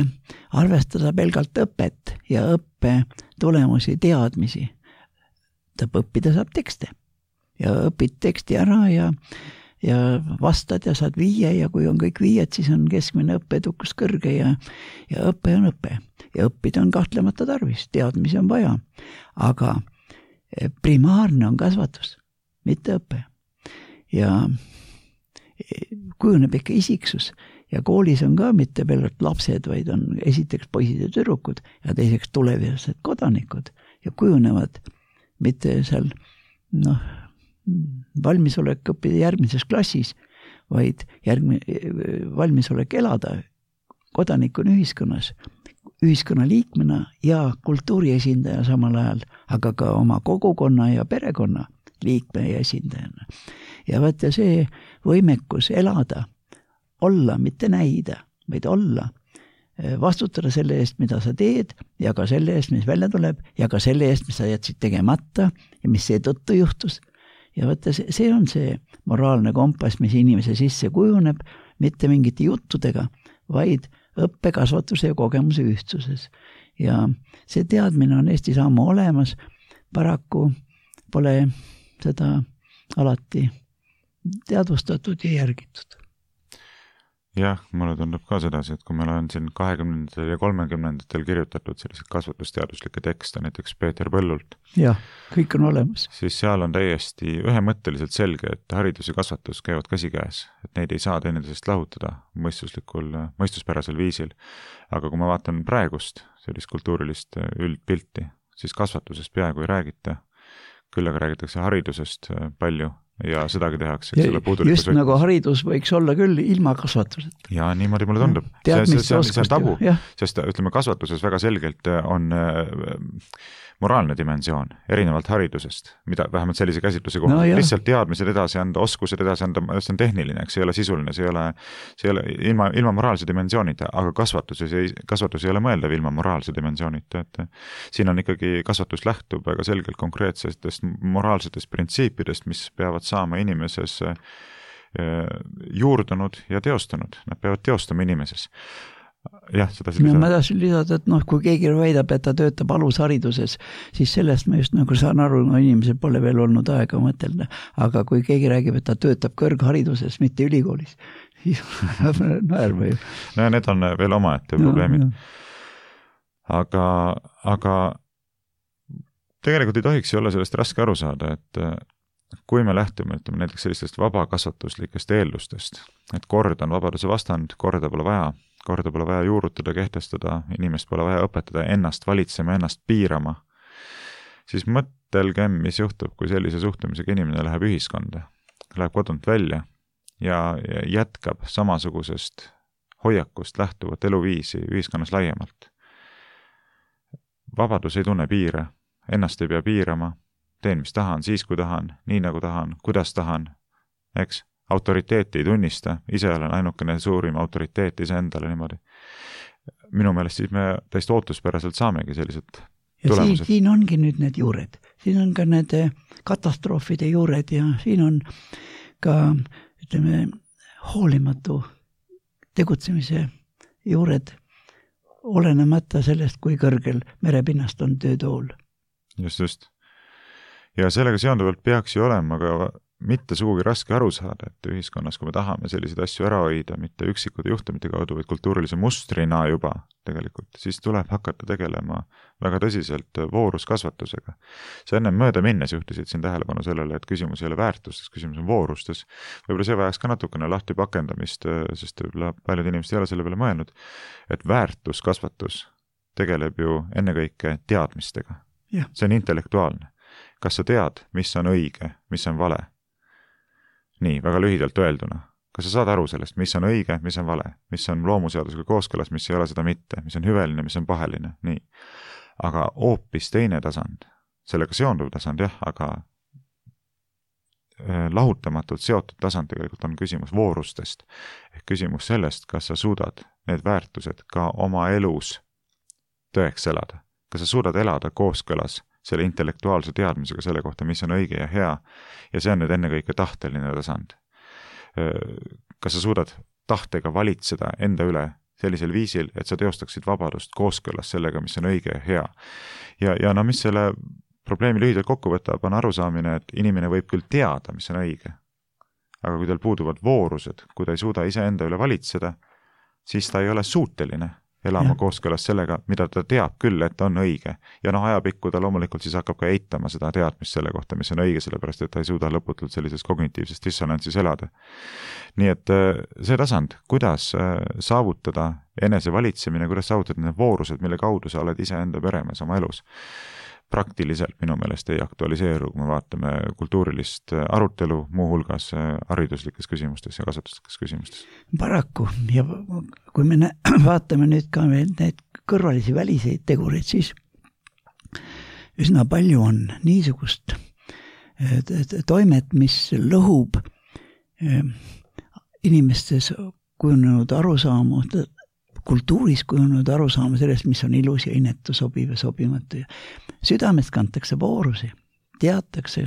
arvestada pelgalt õpet ja õppe tulemusi, teadmisi, ta õppida saab tekste ja õpid teksti ära ja ja vastad ja saad viie ja kui on kõik viied, siis on keskmine õppeedukus kõrge ja, ja õppe on õppe. Ja õppida on kahtlemata tarvis, teadmisi on vaja. Aga primaarne on kasvatus, mitte õpe. Ja, kujuneb ikka isiksus ja koolis on ka mitte pelgalt lapsed, vaid on esiteks poisid ja tüdrukud ja teiseks tulevased kodanikud ja kujunevad mitte seal noh, valmisolek õppida järgmises klassis, vaid järgmine, valmisolek elada kodanikuna ühiskonnas, ühiskonna liikmena ja kultuuri esindaja samal ajal, aga ka oma kogukonna ja perekonna liikme ja esindajana. Ja vaata see võimekus elada, olla, mitte näida, vaid olla, vastutada selle eest, mida sa teed ja ka selle eest, mis välja tuleb ja ka selle eest, mis sa jätsid tegemata ja mis seetõttu juhtus. Ja vaata, see on see moraalne kompass, mis inimese sisse kujuneb, mitte mingite juttudega, vaid õppe, kasvatuse ja kogemuse ühtsuses. Ja see teadmine on Eestis ammu olemas, paraku pole seda alati teadvustatud ja järgitud. Jah, mulle tundub ka sedasi, et kui meil on siin kahekümnendatel ja kolmekümnendatel kirjutatud sellised kasvatusteaduslikke tekste, näiteks Peeter Põllult. Jah, kõik on olemas. Siis seal on täiesti ühemõtteliselt selge, et haridus ja kasvatus käivad käsikäes, et neid ei saa teineteisest lahutada mõistuslikul, mõistuspärasel viisil. Aga kui ma vaatan praegust sellist kultuurilist üldpilti, siis kasvatusest peaaegu ei räägita, küll aga räägitakse haridusest palju ja sedagi tehakse. Ja, just võtmes. Nagu haridus võiks olla küll ilma kasvatuseta. Ja niimoodi mulle tundub. See, see, see, see on tabu, sest ütleme, kasvatuses väga selgelt on moraalne dimensioon, erinevalt haridusest, mida vähemalt sellise käsitluse kohta. No, lihtsalt teadmised edasi anda, oskused edasi anda, see on tehniline, eks, see ei ole sisuline, see ei ole, see ei ole ilma, ilma moraalse dimensioonita, aga kasvatuses ei, kasvatus ei ole mõeldav ilma moraalse dimensioonita, et siin on ikkagi kasvatus lähtub väga selgelt konkreetsetest moraalsetest printsiipidest, mis peavad saama inimeses juurdunud ja teostanud. Nad peavad teostama inimeses. Jah, seda no, ma tahtsin lisada, et noh, kui keegi väidab, et ta töötab alushariduses, siis sellest ma just nagu saan aru, no inimesel pole veel olnud aega mõtelda, aga kui keegi räägib, et ta töötab kõrghariduses, mitte ülikoolis, siis naerma ju. No need on veel omaette probleemid. No, aga, aga tegelikult ei tohiks olla sellest raske aru saada, et kui me lähtume, ütleme näiteks sellistest vabakasvatuslikest eeldustest, et kord on vabaduse vastand, korda pole vaja, korda pole vaja juurutada, kehtestada, inimest pole vaja õpetada ennast valitsema, ennast piirama, siis mõtelgem, mis juhtub, kui sellise suhtumisega inimene läheb ühiskonda, läheb kodunt välja ja jätkab samasugusest hoiakust lähtuvat eluviisi ühiskonnas laiemalt. Vabadus ei tunne piire, ennast ei pea piirama, teen mis tahan, siis kui tahan, nii nagu tahan, kuidas tahan, eks? Autoriteeti ei tunnista, ise olen ainukene suurim autoriteet ise endale niimoodi. Minu meelest siis me täiesti ootuspäraselt saamegi sellised ja tulemused. Siin, siin ongi nüüd need juured. Siin on ka need katastroofide juured ja siin on ka, ütleme, hoolimatu tegutsemise juured, olenemata sellest, kui kõrgel merepinnast on töötool. Just, just. Ja sellega seonduvalt peaks ju olema ka mitte sugugi raske aru saada, et ühiskonnas, kui me tahame selliseid asju ära hoida, mitte üksikute juhtumite kaudu, vaid kultuurilise mustrina juba tegelikult, siis tuleb hakata tegelema väga tõsiselt vooruskasvatusega. Sa enne mööda minnes juhtisid siin tähelepanu sellele, et küsimus ei ole väärtustes, küsimus on voorustes. Võib-olla see vajaks ka natukene lahti pakendamist, sest võib-olla paljud inimesed ei ole selle peale mõelnud, et väärtuskasvatus tegeleb ju ennekõike teadmistega. Ja. See on intellektuaalne. Kas sa tead, mis on õige, mis on vale? Nii, väga lühidalt öelduna. Kas sa saad aru sellest, mis on õige, mis on vale, mis on loomuseadusega kooskõlas, mis ei ole seda mitte, mis on hüveline, mis on paheline, nii. Aga hoopis teine tasand, sellega seonduv tasand, jah, aga lahutamatult seotud tasand tegelikult on küsimus voorustest. Ehk küsimus sellest, kas sa suudad need väärtused ka oma elus tõeks elada. Kas sa suudad elada kooskõlas selle intellektuaalse teadmisega selle kohta, mis on õige ja hea, ja see on nüüd ennekõike tahteline tasand. Kas sa suudad tahtega valitseda enda üle sellisel viisil, et sa teostaksid vabadust kooskõlas sellega, mis on õige ja hea. Ja, ja no mis selle probleemi lühidalt kokku võtab, on arusaamine, et inimene võib küll teada, mis on õige, aga kui tal puuduvad voorused, kui ta ei suuda ise enda üle valitseda, siis ta ei ole suuteline elama Ja. kooskõlas sellega, mida ta teab küll, et on õige. Ja noh, ajapikku ta loomulikult siis hakkab ka eitama seda teadmist selle kohta, mis on õige, sellepärast et ta ei suuda lõputult sellises kognitiivses dissonantsis elada. Nii et see tasand, kuidas saavutada enesevalitsemine, kuidas saavutada need voorused, mille kaudu sa oled ise enda peremees oma elus, praktiliselt minu meelest ei aktualiseeru, kui me vaatame kultuurilist arutelu, muuhulgas hariduslikes küsimustes ja kasvatuslikes küsimustes. Paraku, ja kui me nä- vaatame nüüd ka need kõrvalisi väliseid tegureid, siis üsna palju on niisugust toimet, mis lõhub inimestes kujunenud arusaamu, kultuuris kujunenud arusaama sellest, mis on ilus ja inetu, sobiv ja sobimatu. Südamest kantakse voorusi, teatakse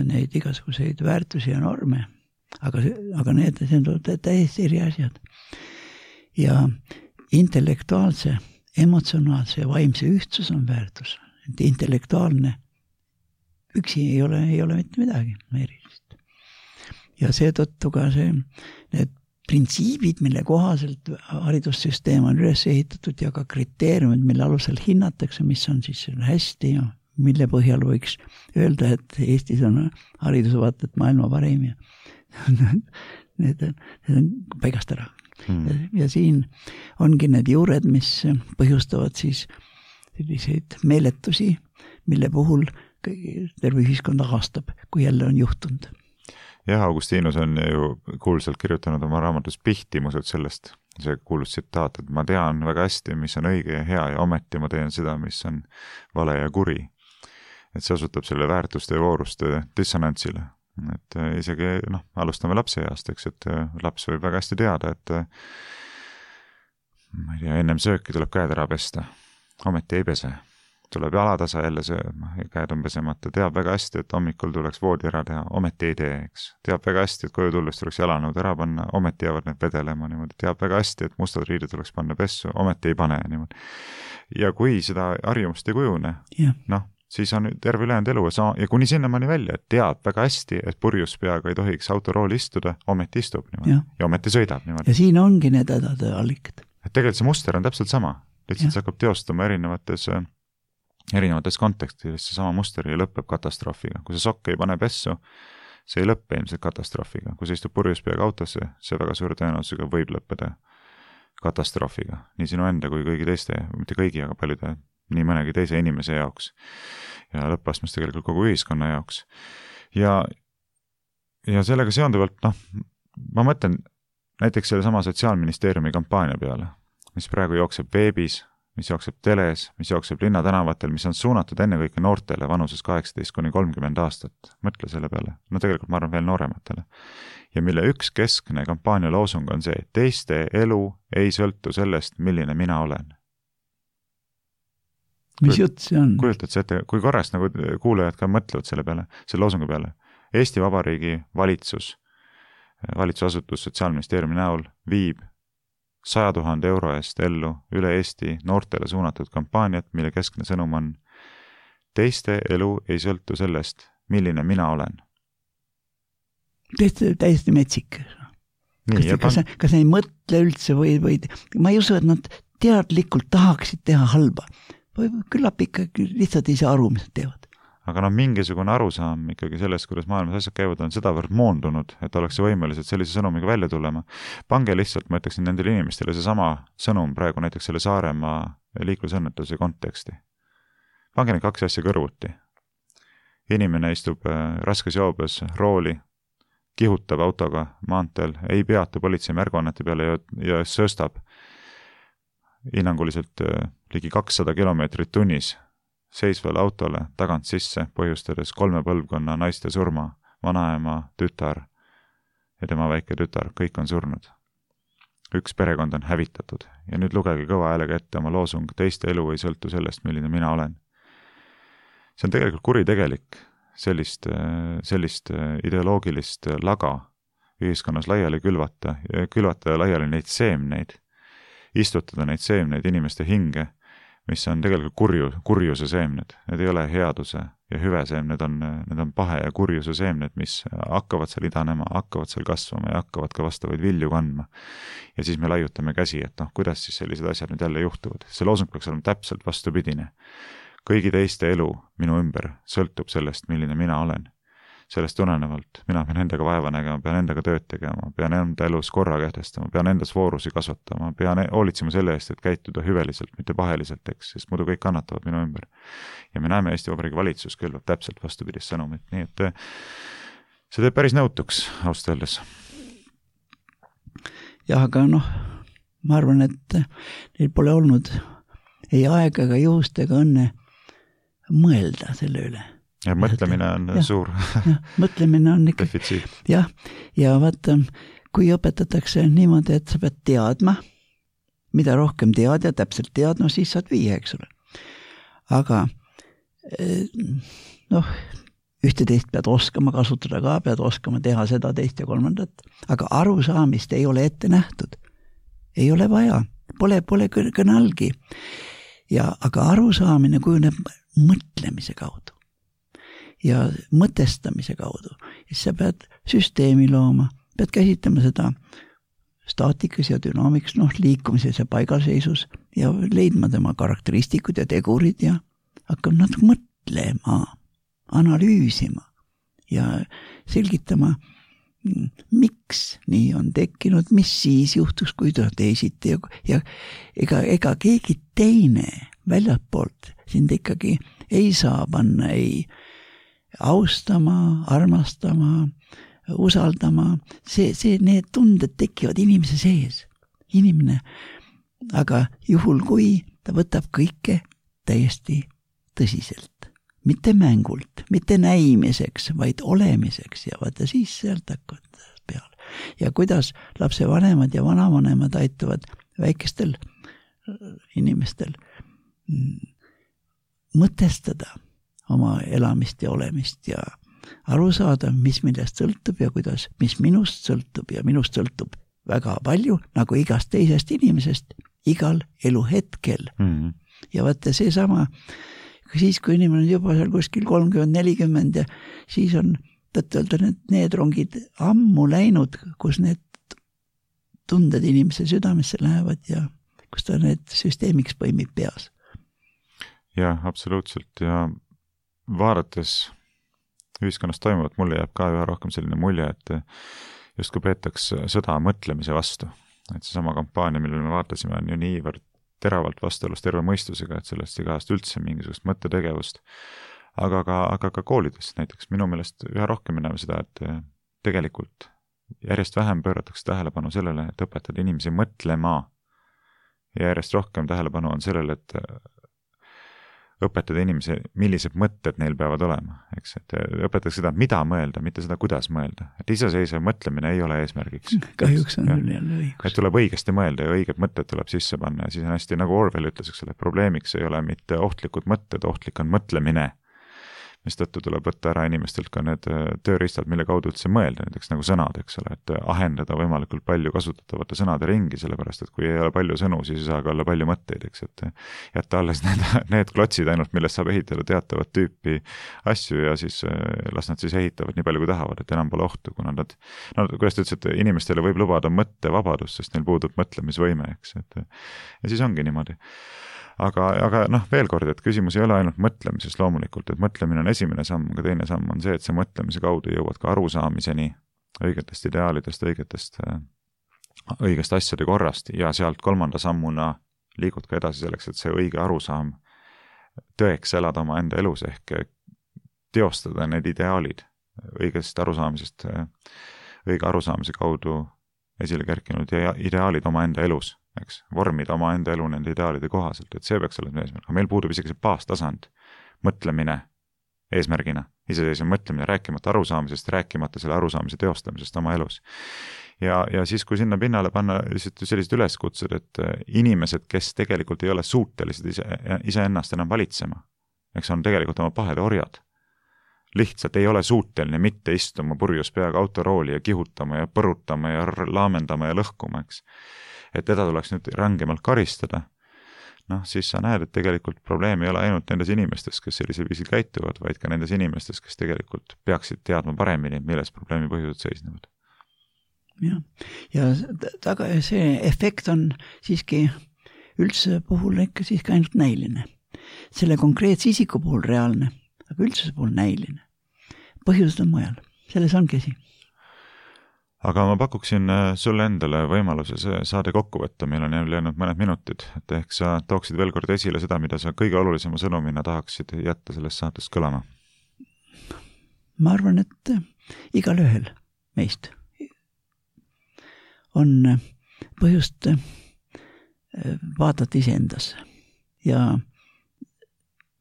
neid igasuguseid väärtusi ja norme, aga, aga need, need on täiesti eri asjad. Ja intellektuaalse, emotsionaalse ja vaimse ühtsus on väärtus. Intellektuaalne üksi ei ole, ei ole mitte midagi erilist. Ja seetõttu ka see, need printsiibid, mille kohaselt haridussüsteem on üles ehitatud ja ka kriteeriumid, mille alusel hinnatakse, mis on siis hästi ja mille põhjal võiks öelda, et Eestis on haridusvaated maailma parim ja need on, need on paigast ära. Hmm. Ja, ja siin ongi need juured, mis põhjustavad siis selliseid meeletusi, mille puhul terve ühiskond ahastab, kui jälle on juhtunud. Jah, Augustinus on ju kuulsalt kirjutanud oma raamatus Pihtimused sellest, see kuulus tsitaat, et ma tean väga hästi, mis on õige ja hea ja ometi ma teen seda, mis on vale ja kuri. Et see osutab selle väärtuste ja vooruste dissonantsile. Et isegi, noh, alustame lapse east, eks, et laps võib väga hästi teada, et ma ei tea, ennem sööki tuleb käed ära pesta, ometi ei pese. Tuleb jalatasa jälle sööma ja käed on pesemata. Teab väga hästi, et hommikul tuleks voodi ära teha, ometi ei tee, eks. Teab väga hästi, et koju tulles tuleks jalanõud ära panna, ometi jäävad need vedelema niimoodi. Teab väga hästi, et mustad riided tuleks panna pessu, ometi ei pane niimoodi. Ja kui seda harjumust ei kujune, yeah. noh, siis on terve ülejäänud elu ja kuni sinnamaani välja, et teab väga hästi, et purjus peaga ei tohiks autorooli istuda, ometi istub niimoodi yeah. ja ometi sõidab niimoodi. Ja siin ongi need hädade allikad. Et tegelikult see muster on täpselt sama. Lihtsalt yeah. see hakkab teostama erinevates erinevates kontekstides see sama muster ja lõpeb katastroofiga. Kui see sokk ei pane pessu, see ei lõppe ilmselt katastroofiga. Kui see istub purjus peaga autosse, see väga suure tõenäosusega võib lõppeda katastroofiga. Nii sinu enda kui kõigi teiste, mitte kõigi, aga paljude, nii mõnegi teise inimese jaoks. Ja lõppastmes tegelikult kogu ühiskonna jaoks. Ja, ja sellega seonduvalt, noh, ma mõtlen näiteks selle sama Sotsiaalministeeriumi kampaania peale, mis praegu jookseb veebis, mis jookseb teles, mis jookseb linnatänavatel, mis on suunatud ennekõike noortele vanuses kaheksateist kuni kolmkümmend aastat. Mõtle selle peale. No tegelikult ma arvan veel noorematele. Ja mille üks keskne kampaania loosung on see, et teiste elu ei sõltu sellest, milline mina olen. Mis jutt see on? Kujutad see ette, kui korrast nagu kuulajad ka mõtlevad selle peale, selle loosungi peale. Eesti Vabariigi valitsus, valitsusasutus Sotsiaalministeeriumi näol viib saja tuhande euro eest ellu üle Eesti noortele suunatud kampaaniat, mille keskne sõnum on teiste elu ei sõltu sellest, milline mina olen. Täiesti, täiesti metsik. Nii, kas, kas, pan... kas ei mõtle üldse või, või ma ei usu, et nad teadlikult tahaksid teha halba. Või küllap ikkagi lihtsalt ei saa aru, mis nad teevad. Aga no mingisugune arusaam ikkagi sellest, kuidas maailmas asjad käivad, on sedavõrd moondunud, et oleks võimelised sellise sõnumiga välja tulema. Pange lihtsalt, ma ütleksin nendele inimestele, see sama sõnum praegu näiteks selle Saaremaa liiklusõnnetuse konteksti. Pange need kaks asja kõrvuti. Inimene istub raskes joobes rooli, kihutab autoga maanteel, ei peatu politsei märguannete peale ja, ja sööstab hinnanguliselt ligi kakssada kilomeetrit tunnis seisvale autole tagant sisse, põhjustades kolme põlvkonna naiste surma, vanaema, tütar ja tema väike tütar, kõik on surnud. Üks perekond on hävitatud ja nüüd lugege kõva häälega ette oma loosung, teiste elu ei sõltu sellest, milline mina olen. See on tegelikult kuritegelik sellist, sellist ideoloogilist laga ühiskonnas laiali külvata, külvata laiali neid seemneid, istutada neid seemneid inimeste hinge, mis on tegelikult kurju, kurjuse seemned. Need ei ole headuse ja hüve seemned, on, need on pahe ja kurjuse seemned, mis hakkavad seal idanema, hakkavad seal kasvama ja hakkavad ka vastavaid vilju kandma. Ja siis me laiutame käsi, et noh, kuidas siis sellised asjad nüüd jälle juhtuvad. See loosung peaks olema täpselt vastupidine. Kõigi teiste elu minu ümber sõltub sellest, milline mina olen. Sellest tulenevalt mina pean endaga vaeva nägema, pean endaga tööd tegema, pean enda elus korra kehtestama, pean endas voorusi kasvatama, pean hoolitsema selle eest, et käituda hüveliselt, mitte paheliselt, eks, sest muidu kõik kannatavad minu ümber. Ja me näeme Eesti Vabariigi valitsus külvab täpselt vastupidist sõnumit, nii et see teeb päris nõutuks, ausalt öeldes. Jah, aga noh, ma arvan, et neil pole olnud ei aega ega juhust ega õnne mõelda selle üle. Ja mõtlemine on ja, suur ja, mõtlemine on ikka defitsiit. Jah, ja vaata, kui õpetatakse niimoodi, et sa pead teadma, mida rohkem tead ja täpselt tead, no siis saad viia, eks ole. Aga noh, ühte teist pead oskama kasutada ka, pead oskama teha seda teist ja kolmandat, aga arusaamist ei ole ette nähtud. Ei ole vaja, pole, pole kõnalgi. Ja, aga arusaamine kujuneb mõtlemise kaudu. Ja mõtestamise kaudu. Ja siis sa pead süsteemi looma, pead käsitlema seda staatikas ja dünaamikas, noh, liikumises ja paigalseisus ja leidma tema karakteristikud ja tegurid ja hakkama natuke mõtlema, analüüsima ja selgitama, miks nii on tekkinud, mis siis juhtus, kui ta teisiti ja, ja ega, ega keegi teine väljapoolt sind ikkagi ei saa panna, ei austama, armastama, usaldama, see, see, need tunded tekivad inimese sees, inimene, aga juhul kui ta võtab kõike täiesti tõsiselt, mitte mängult, mitte näimiseks, vaid olemiseks ja vaata siis sealt hakkavad peale. Ja kuidas lapsevanemad ja vanavanemad aitavad väikestel inimestel mõtestada oma elamist ja olemist ja aru saada, mis millest sõltub ja kuidas, mis minust sõltub ja minust sõltub väga palju, nagu igast teisest inimesest, igal eluhetkel. Mm-hmm. Ja vaata see sama, siis kui inimene on juba seal kuskil kolmkümmend nelikümmend ja siis on, tõtt-öelda need, need rongid ammu läinud, kus need tunded inimese südamesse lähevad ja kus ta need süsteemiks põimib peas. Jah, absoluutselt ja vaadates ühiskonnas toimuvat, mulle jääb ka üha rohkem selline mulje, et just kui peetaks sõda mõtlemise vastu, et see sama kampaania, millele me vaatasime, on ju niivõrd teravalt vastuolus terve mõistusega, et sellest igast üldse mingisugust mõttetegevust, aga ka, aga ka koolides näiteks. Minu meelest üha rohkem me näeme seda, et tegelikult järjest vähem pööratakse tähelepanu sellele, et õpetada inimesi mõtlema ja järjest rohkem tähelepanu on sellele, et õpetada inimesi, millised mõtted neil peavad olema, eks, et õpetatakse seda, mida mõelda, mitte seda, kuidas mõelda. Et iseseisev mõtlemine ei ole eesmärgiks. Kahjuks on küll jälle õigus. Et tuleb õigesti mõelda ja õiged mõtted tuleb sisse panna ja siis on hästi, nagu Orwell ütles, eks ole, probleemiks ei ole mitte ohtlikud mõtted, ohtlik on mõtlemine, mis tõttu tuleb võtta ära inimestelt ka need tööriistad, mille kaudu üldse mõelda, näiteks nagu sõnad, eks ole, et ahendada võimalikult palju kasutatavate sõnade ringi, sellepärast, et kui ei ole palju sõnu, siis ei saa ka olla palju mõtteid, eks, et jätta alles need, need klotsid ainult, millest saab ehitada teatavat tüüpi asju ja siis las nad siis ehitavad nii palju, kui tahavad, et enam pole ohtu, kuna nad, no kuidas ta ütles, et inimestele võib lubada mõttevabadust, sest neil puudub mõtlemisvõime, eks, et ja siis ongi niimoodi. Aga, aga noh, veel kord, et küsimus ei ole ainult mõtlemises loomulikult, et mõtlemine on esimene samm, aga teine samm on see, et see mõtlemise kaudu jõuad ka arusaamiseni õigetest ideaalidest, õigetest, õigest asjade korrast ja sealt kolmanda sammuna liigud ka edasi selleks, et see õige arusaam tõeks elada oma enda elus ehk teostada need ideaalid õigest arusaamisest, õige arusaamise kaudu esile kerkinud ideaalid oma enda elus. Eks, vormida oma enda elu nende ideaalide kohaselt, et see peaks olema eesmärk. Meil puudub isegi see baastasand, mõtlemine eesmärgina, iseseisev mõtlemine, rääkimata arusaamisest, rääkimata selle arusaamise teostamisest oma elus. Ja, ja siis, kui sinna pinnale panna sellised üleskutsed, et inimesed, kes tegelikult ei ole suutelised ise, ise ennast enam valitsema, eks on tegelikult oma pahede orjad, lihtsalt ei ole suuteline mitte istuma purjus peaga autorooli ja kihutama ja põrutama ja laamendama ja lõhkuma, eks. Et teda tuleks nüüd rangemalt karistada, noh, siis sa näed, et tegelikult probleem ei ole ainult nendes inimestes, kes sellisel viisil käituvad, vaid ka nendes inimestes, kes tegelikult peaksid teadma paremini, milles probleemi põhjused seisnevad. Ja, ja taga, see efekt on siiski üldse puhul ikka siiski ainult näiline. Selle konkreetse isiku puhul reaalne, aga üldse puhul näiline. Põhjused on mujal, selles ongi asi. Aga ma pakuksin sulle endale võimaluse see saade kokku võtta, meil on jäänud mõned minutid, et ehk sa tooksid veel kord esile seda, mida sa kõige olulisema sõnumina tahaksid jätta sellest saatest kõlama. Ma arvan, et igal ühel meist on põhjust vaadata iseendasse ja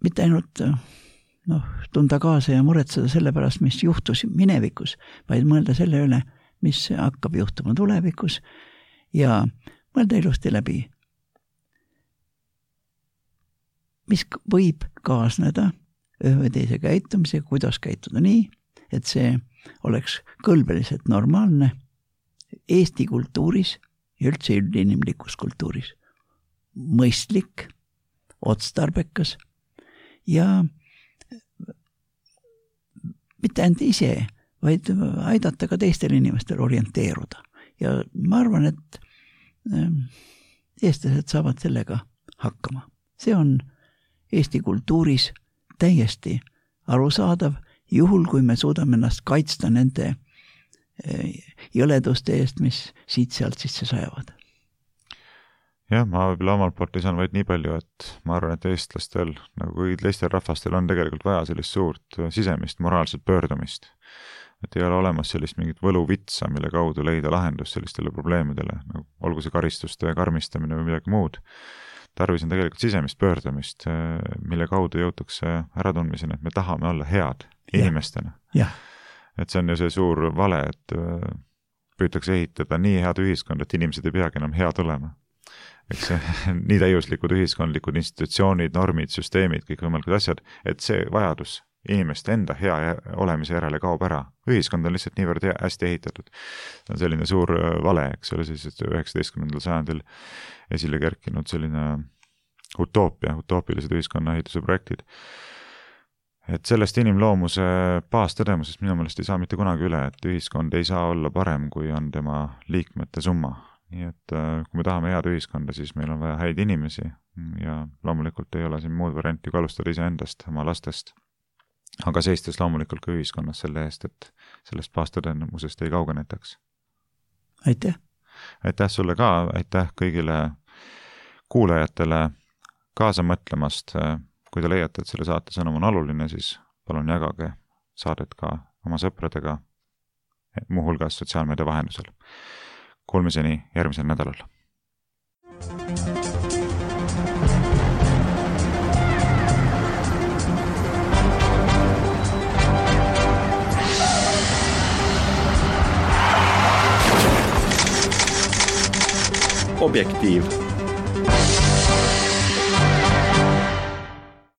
mitte ainult noh, tunda kaasa ja muretseda selle pärast, mis juhtus minevikus, vaid mõelda selle üle, mis hakkab juhtuma tulevikus ja mõelda ilusti läbi, mis võib kaasneda ühe või teise käitumisega, kuidas käituda nii, et see oleks kõlbeliselt normaalne Eesti kultuuris ja üldse üldinimlikus kultuuris. Mõistlik, otstarbekas ja mitte ainult ise, vaid aidata ka teistel inimestel orienteeruda. Ja ma arvan, et eestlased saavad sellega hakkama. See on Eesti kultuuris täiesti arusaadav, juhul kui me suudame ennast kaitsta nende jõleduste eest, mis siit sealt sisse sajavad. Jah, ma võib-olla omalt poolt lisan vaid nii palju, et ma arvan, et eestlastel, nagu kui teistel rahvastel on tegelikult vaja sellist suurt sisemist moraalset pöördumist. Et ei ole olemas sellist mingit võluvitsa, mille kaudu leida lahendus sellistele probleemidele, nagu olgu see karistuste karmistamine või midagi muud. Tarvis on tegelikult sisemist pöördumist, mille kaudu jõutakse äratundmiseni, et me tahame olla head inimestena. Ja. Et see on ju see suur vale, et püütakse ehitada nii head ühiskond, et inimesed ei peagi enam head olema. Eks see, nii täiuslikud ühiskondlikud institutsioonid, normid, süsteemid, kõik võimalikud asjad, et see vajadus inimeste enda hea olemise järele kaob ära. Ühiskond on lihtsalt niivõrd hästi ehitatud. See on selline suur vale, eks ole, siis üheksateistkümnendal sajandil esile kerkinud selline utoopia, utoopilised ühiskonna ehituse projektid. Et sellest inimloomuse baastõdemusest minu meelest ei saa mitte kunagi üle, et ühiskond ei saa olla parem, kui on tema liikmete summa. Nii et kui me tahame head ühiskonda, siis meil on vaja häid inimesi ja loomulikult ei ole siin muud varianti kui alustada ise endast, oma lastest. Aga seistes loomulikult ka ühiskonnas selle eest, et sellest baastõdemusest ei kaugenetaks. Aitäh! Aitäh sulle ka, aitäh kõigile kuulajatele kaasa mõtlemast. Kui te leiate, et selle saate sõnum on oluline, siis palun jagage saadet ka oma sõpradega, muuhulgas sotsiaalmeedia vahendusel. Kuulmiseni järgmisel nädalal. Objektiiv.